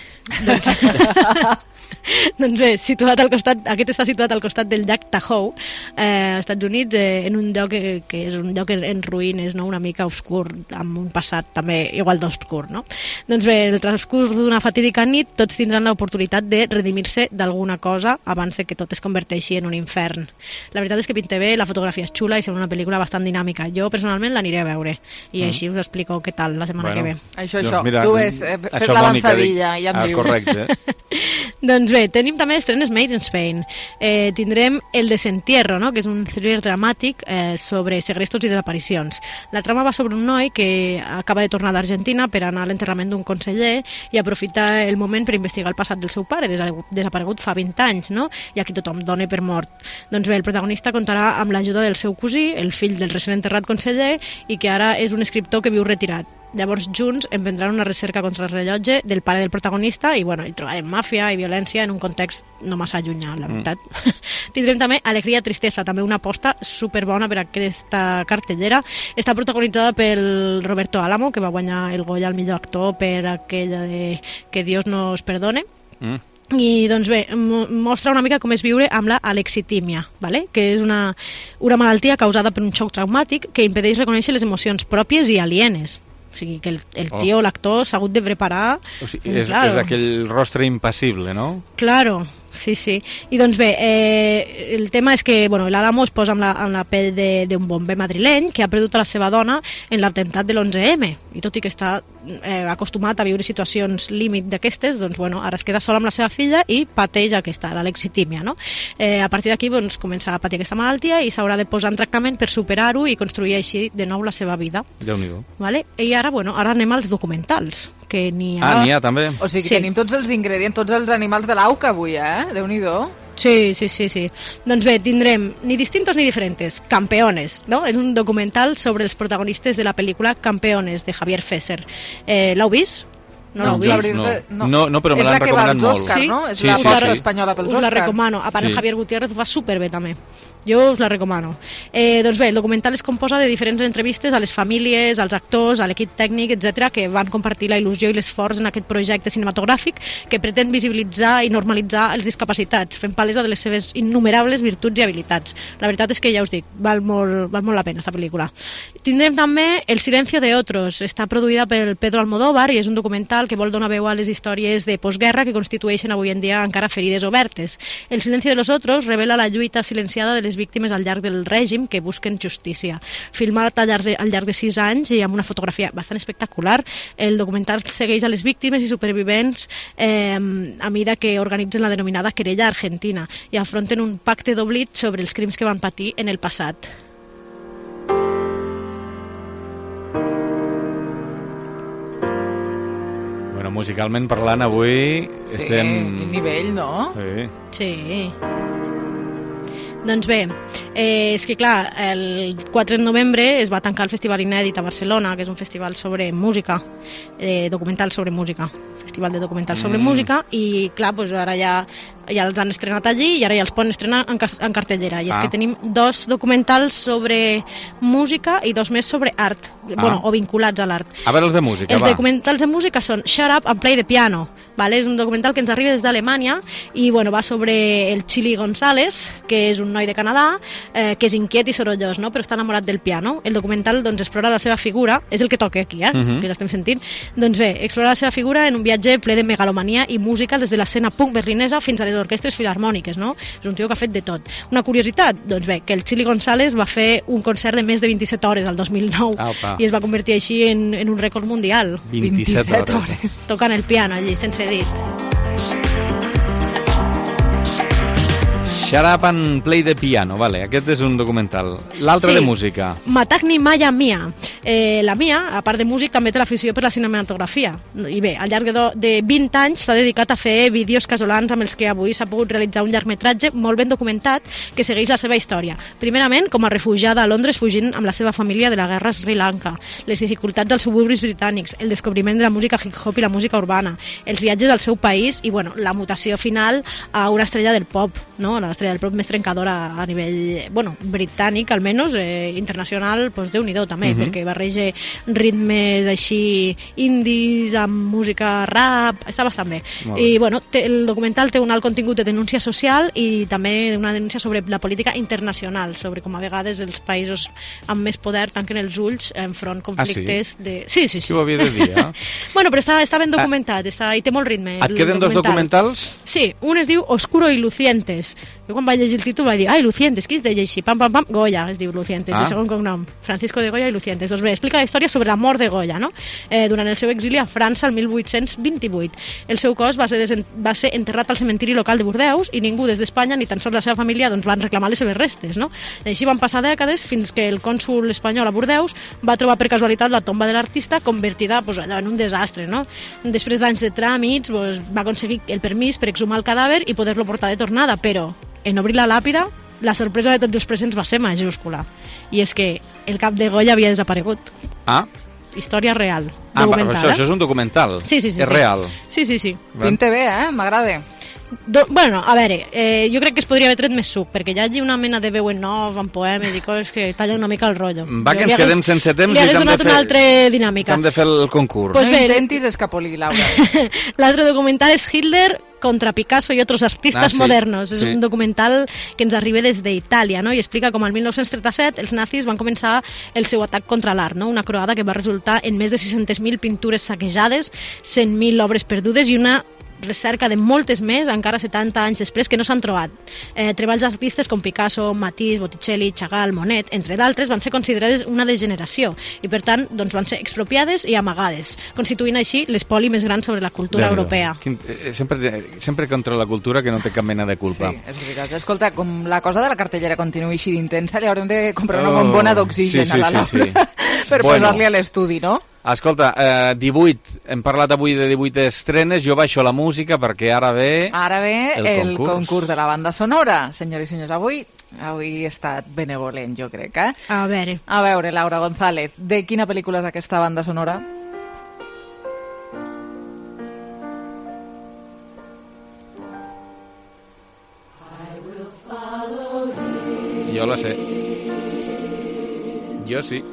Doncs bé, aquest està situat al costat del llac Tahoe, als Estats Units, en un lloc que és un lloc en ruïnes, no? Una mica obscur, amb un passat també igual d'obscur, no? Doncs bé, el transcurs d'una fatídica nit, tots tindran l'oportunitat de redimir-se d'alguna cosa abans de que tot es converteixi en un infern. La veritat és que pinta bé, la fotografia és xula i sembla una pel·lícula bastant dinàmica. Jo personalment l'aniré a veure i així us explico què tal la setmana que ve. Això, tu fes l'avançadilla i ja em dius. Correcte. Doncs bé, tenim també estrenes Made in Spain. Tindrem El Desentierro, no? Que és un thriller dramàtic sobre segrestos i desaparicions. La trama va sobre un noi que acaba de tornar d'Argentina per anar a l'enterrament d'un conseller i aprofita el moment per investigar el passat del seu pare, desaparegut fa 20 anys, no? I aquí tothom dona per mort. Doncs bé, el protagonista comptarà amb l'ajuda del seu cosí, el fill del recent enterrat conseller, i que ara és un escriptor que viu retirat. Llavors, junts emprendran una recerca contra el rellotge del pare del protagonista i, bueno, hi trobarem màfia i violència en un context no massa allunyà, la veritat. Tindrem també Alegria, Tristesa, també una aposta superbona per aquesta cartellera. Està protagonitzada pel Roberto Álamo, que va guanyar el Goya al millor actor per aquella de Que Dios nos perdone. I doncs bé, mostra una mica com és viure amb la alexitímia, ¿vale? Que és una malaltia causada per un xoc traumàtic que impedeix reconèixer les emocions pròpies i alienes. O sigui, que el tio, l'actor, s'ha hagut de preparar... O sigui, és aquell rostre impassible, no? Claro, sí. I doncs bé, el tema és que l'Álamo es posa en la pell d'un bomber madrileny que ha perdut a la seva dona en l'atemptat de l'11M. I tot i que està acostumat a viure situacions límit d'aquestes, doncs ara es queda sola amb la seva filla i pateix l'alexitímia, no? A partir d'aquí comença a patir aquesta malaltia i s'haurà de posar en tractament per superar-ho i construir així de nou la seva vida. Déu-n'hi-do. Vale? I ara anem als documentals, que n'hi ha... n'hi ha també. O sigui que tenim tots els ingredients, tots els animals de l'auca avui, Déu-n'hi-do. Sí. Doncs bé, tindrem Ni distintos ni diferentes, Campeones, no? És un documental sobre els protagonistes de la pel·lícula Campeones, de Javier Fesser. L'heu vist? No l'heu vist? No, però me l'han recomanat molt. Oscar, no? És la porta espanyola pels Oscar. Us la recomano. A part, Javier Gutiérrez ho fa superbé també. Jo us la recomano. Doncs bé, el documental es composa de diferents entrevistes a les famílies, als actors, a l'equip tècnic, etc., que van compartir la il·lusió i l'esforç en aquest projecte cinematogràfic que pretén visibilitzar i normalitzar els discapacitats, fent palesa de les seves innumerables virtuts i habilitats. La veritat és que ja us dic, val molt la pena aquesta pel·lícula. Tindrem també El silencio de otros. Està produïda per Pedro Almodóvar i és un documental que vol donar veu a les històries de postguerra que constitueixen avui en dia encara ferides obertes. El silencio de los otros revela la lluita silenciada de les víctimes al llarg del règim que busquen justícia. Filmat al llarg de 6 anys i amb una fotografia bastant espectacular, el documental segueix a les víctimes i supervivents a mida que organitzen la denominada querella argentina i afronten un pacte d'oblit sobre els crims que van patir en el passat. Musicalment parlant, avui estem... Quin nivell, no? Sí. Doncs bé, és que clar, el 4 de novembre es va tancar el Festival Inèdit a Barcelona, que és un festival sobre música, documental sobre música, festival de documental sobre música, i clar, doncs ara ja els han estrenat allí i ara ja els poden estrenar en cartellera. I és que tenim 2 documentals sobre música i 2 més sobre art, o vinculats a l'art. A veure els de música, Els documentals de música són Shut Up and Play the Piano. És un documental que ens arriba des d'Alemanya i va sobre el Chili González, que és un noi de Canadà, que és inquiet i sorollós, no? Però està enamorat del piano. El documental explora la seva figura, és el que toca aquí, que l'estem sentint. Doncs bé, explora la seva figura en un viatge ple de megalomania i música des de l'escena punk berlinesa fins a les orquestres filharmòniques, no? És un tio que ha fet de tot. Una curiositat, doncs bé, que el Chili González va fer un concert de més de 27 hores al 2009 i es va convertir així en un rècord mundial. 27 hores. Tocant el piano allí, sense dit. Shut Up and Play the Piano, vale, aquest és un documental. L'altre de música. Matagni Maya Mia. La Mia, a part de músic, també té l'afició per la cinematografia. I bé, al llarg de 20 anys s'ha dedicat a fer vídeos casolans amb els que avui s'ha pogut realitzar un llargmetratge molt ben documentat que segueix la seva història. Primerament, com a refugiada a Londres fugint amb la seva família de la guerra a Sri Lanka, les dificultats dels suburbis britànics, el descobriment de la música hip-hop i la música urbana, els viatges al seu país i, la mutació final a una estrella del pop, no? estrella del pop més trencadora a nivell, bueno, britànic almenys, internacional, doncs Déu-n'hi-do també, perquè barreja ritmes així indis amb música rap, està bastant bé. I bueno, el documental té un alt contingut de denúncia social i també una denúncia sobre la política internacional, sobre com a vegades els països amb més poder tanquen els ulls enfront conflictes de... Sí. Qui ho havia de dir, Bueno, però està ben documentat, i té molt ritme. Et queden dos documentals? Sí, un es diu Oscuro y Lucientes. Jo quan vaig llegir el títol vaig dir, ai, Lucientes, qui es deia així? Pam, Goya, es diu Lucientes, de segon cognom. Francisco de Goya i Lucientes. Doncs bé, explica la història sobre la mort de Goya, no? Durant el seu exili a França el 1828. El seu cos va ser enterrat al cementiri local de Bordeus i ningú des d'Espanya, ni tan sols la seva família, doncs van reclamar les seves restes, no? I així van passar dècades fins que el cònsul espanyol a Bordeus va trobar per casualitat la tomba de l'artista convertida allò en un desastre, no? Després d'anys de tràmits va aconseguir el permís per exhumar el cadàver i poder-lo portar de tornada, però en obrir la làpida la sorpresa de tots els presents va ser majúscula, i és que el cap de Goya havia desaparegut. Història real, documental. Això és un documental? Sí. És real? Sí. Pinta bé, m'agrada. Bueno, a veure, jo crec que es podria haver tret més suc, perquè hi ha una mena de veu en off, en poemes i coses que tallen una mica el rotllo. Va, que ens quedem sense temps i t'hem donat una altra dinàmica. Hem de fer el concurs. Pues no intentis escapolir, Laura. L'altre documental és Hitler contra Picasso y otros artistas modernos. És un documental que ens arriba des d'Itàlia, no? I explica com al 1937 els nazis van començar el seu atac contra l'art, no? Una croada que va resultar en més de 600.000 pintures saquejades, 100.000 obres perdudes i una recerca de moltes més, encara 70 anys després, que no s'han trobat. Treballs d'artistes com Picasso, Matisse, Botticelli, Chagall, Monet, entre d'altres, van ser considerades una degeneració i, per tant, doncs, van ser expropiades i amagades, constituint així l'espoli més gran sobre la cultura europea. Sempre contra la cultura, que no té cap mena de culpa. Sí, és veritat. Escolta, com la cosa de la cartellera continuï així d'intensa, li haurem de comprar una bombona d'oxigen a la Laura per posar-li a l'estudi, no? Escolta, 18, hem parlat avui de 18 estrenes, jo baixo la música perquè ara ve el concurs de la banda sonora. Senyors i senyors, avui he estat benevolent, jo crec, A veure, Laura González, de quina pel·lícula és aquesta banda sonora? Jo la sé. Jo sí.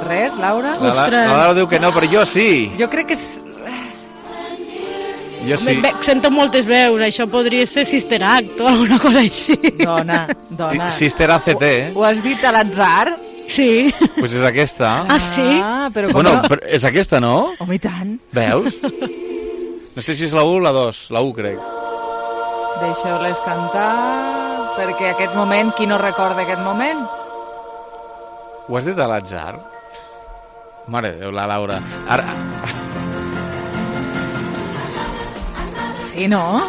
Res, Laura? La Laura diu que no, però jo sí. Jo crec que és... Jo sí. Sento moltes veus, això podria ser Sister Act o alguna cosa així. Dona. Sister ACT, Ho has dit a l'atzar? Sí. Pues és aquesta. Ah, sí? Però bueno, és aquesta, no? Home, i tant. Veus? No sé si és la 1 o la 2, la 1 crec. Deixeu-les cantar, perquè aquest moment, qui no recorda aquest moment? Ho has dit a l'atzar? Mare de Déu, la Laura. Ara... Sí, no?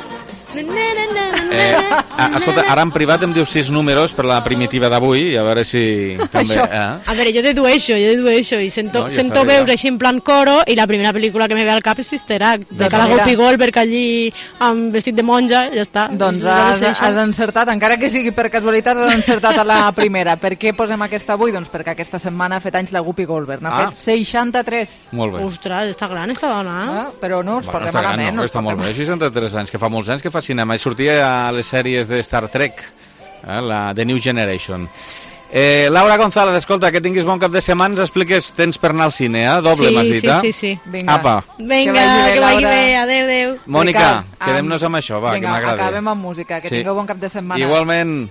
Escolta, ara en privat em dius 6 números per la primitiva d'avui, a veure si també... A veure, jo dedueixo i sento veure així en plan coro, i la primera pel·lícula que me ve al cap és Sister Act, de la Whoopi Goldberg allí amb vestit de monja, ja està. Doncs has encertat, encara que sigui per casualitat, has encertat a la primera. Per què posem aquesta avui? Doncs perquè aquesta setmana ha fet anys la Whoopi Goldberg, n'ha fet 63. Molt bé. Ostres, està gran, està dona. Però no us portem malament. No, està molt bé, 63 anys, que fa molts anys que fa cinema, i sortia a les sèries de Star Trek, la The New Generation. Laura González, escolta, que tinguis bon cap de setmana, ens expliques, tens per anar al cine, doble, m'has dit, Sí. Vinga, apa. Vinga, que vagi bé, adeu. Mònica, quedem-nos amb això, va, que m'agrada. Vinga, acabem amb música, que tingueu bon cap de setmana. Igualment.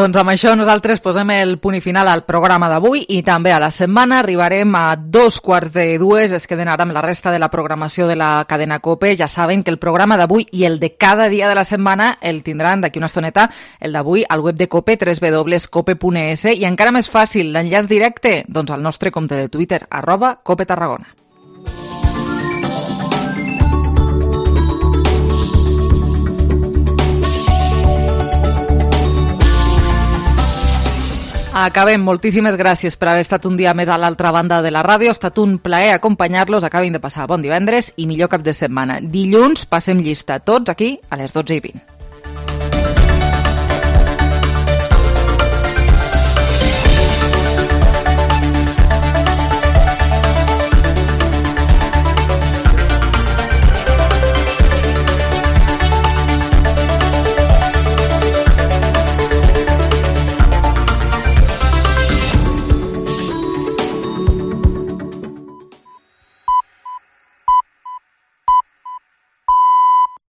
Doncs amb això nosaltres posem el punt i final al programa d'avui i també a la setmana. Arribarem a 2:45, es queden ara amb la resta de la programació de la cadena COPE. Ja saben que el programa d'avui i el de cada dia de la setmana el tindran d'aquí una estoneta, el d'avui al web de COPE, www.cope.es, i encara més fàcil, l'enllaç directe, doncs al nostre compte de Twitter, @COPETarragona. Acabem. Moltíssimes gràcies per haver estat un dia més a l'altra banda de la ràdio. Ha estat un plaer acompanyar-los. Acabin de passar bon divendres i millor cap de setmana. Dilluns passem llista tots aquí a les 12:20.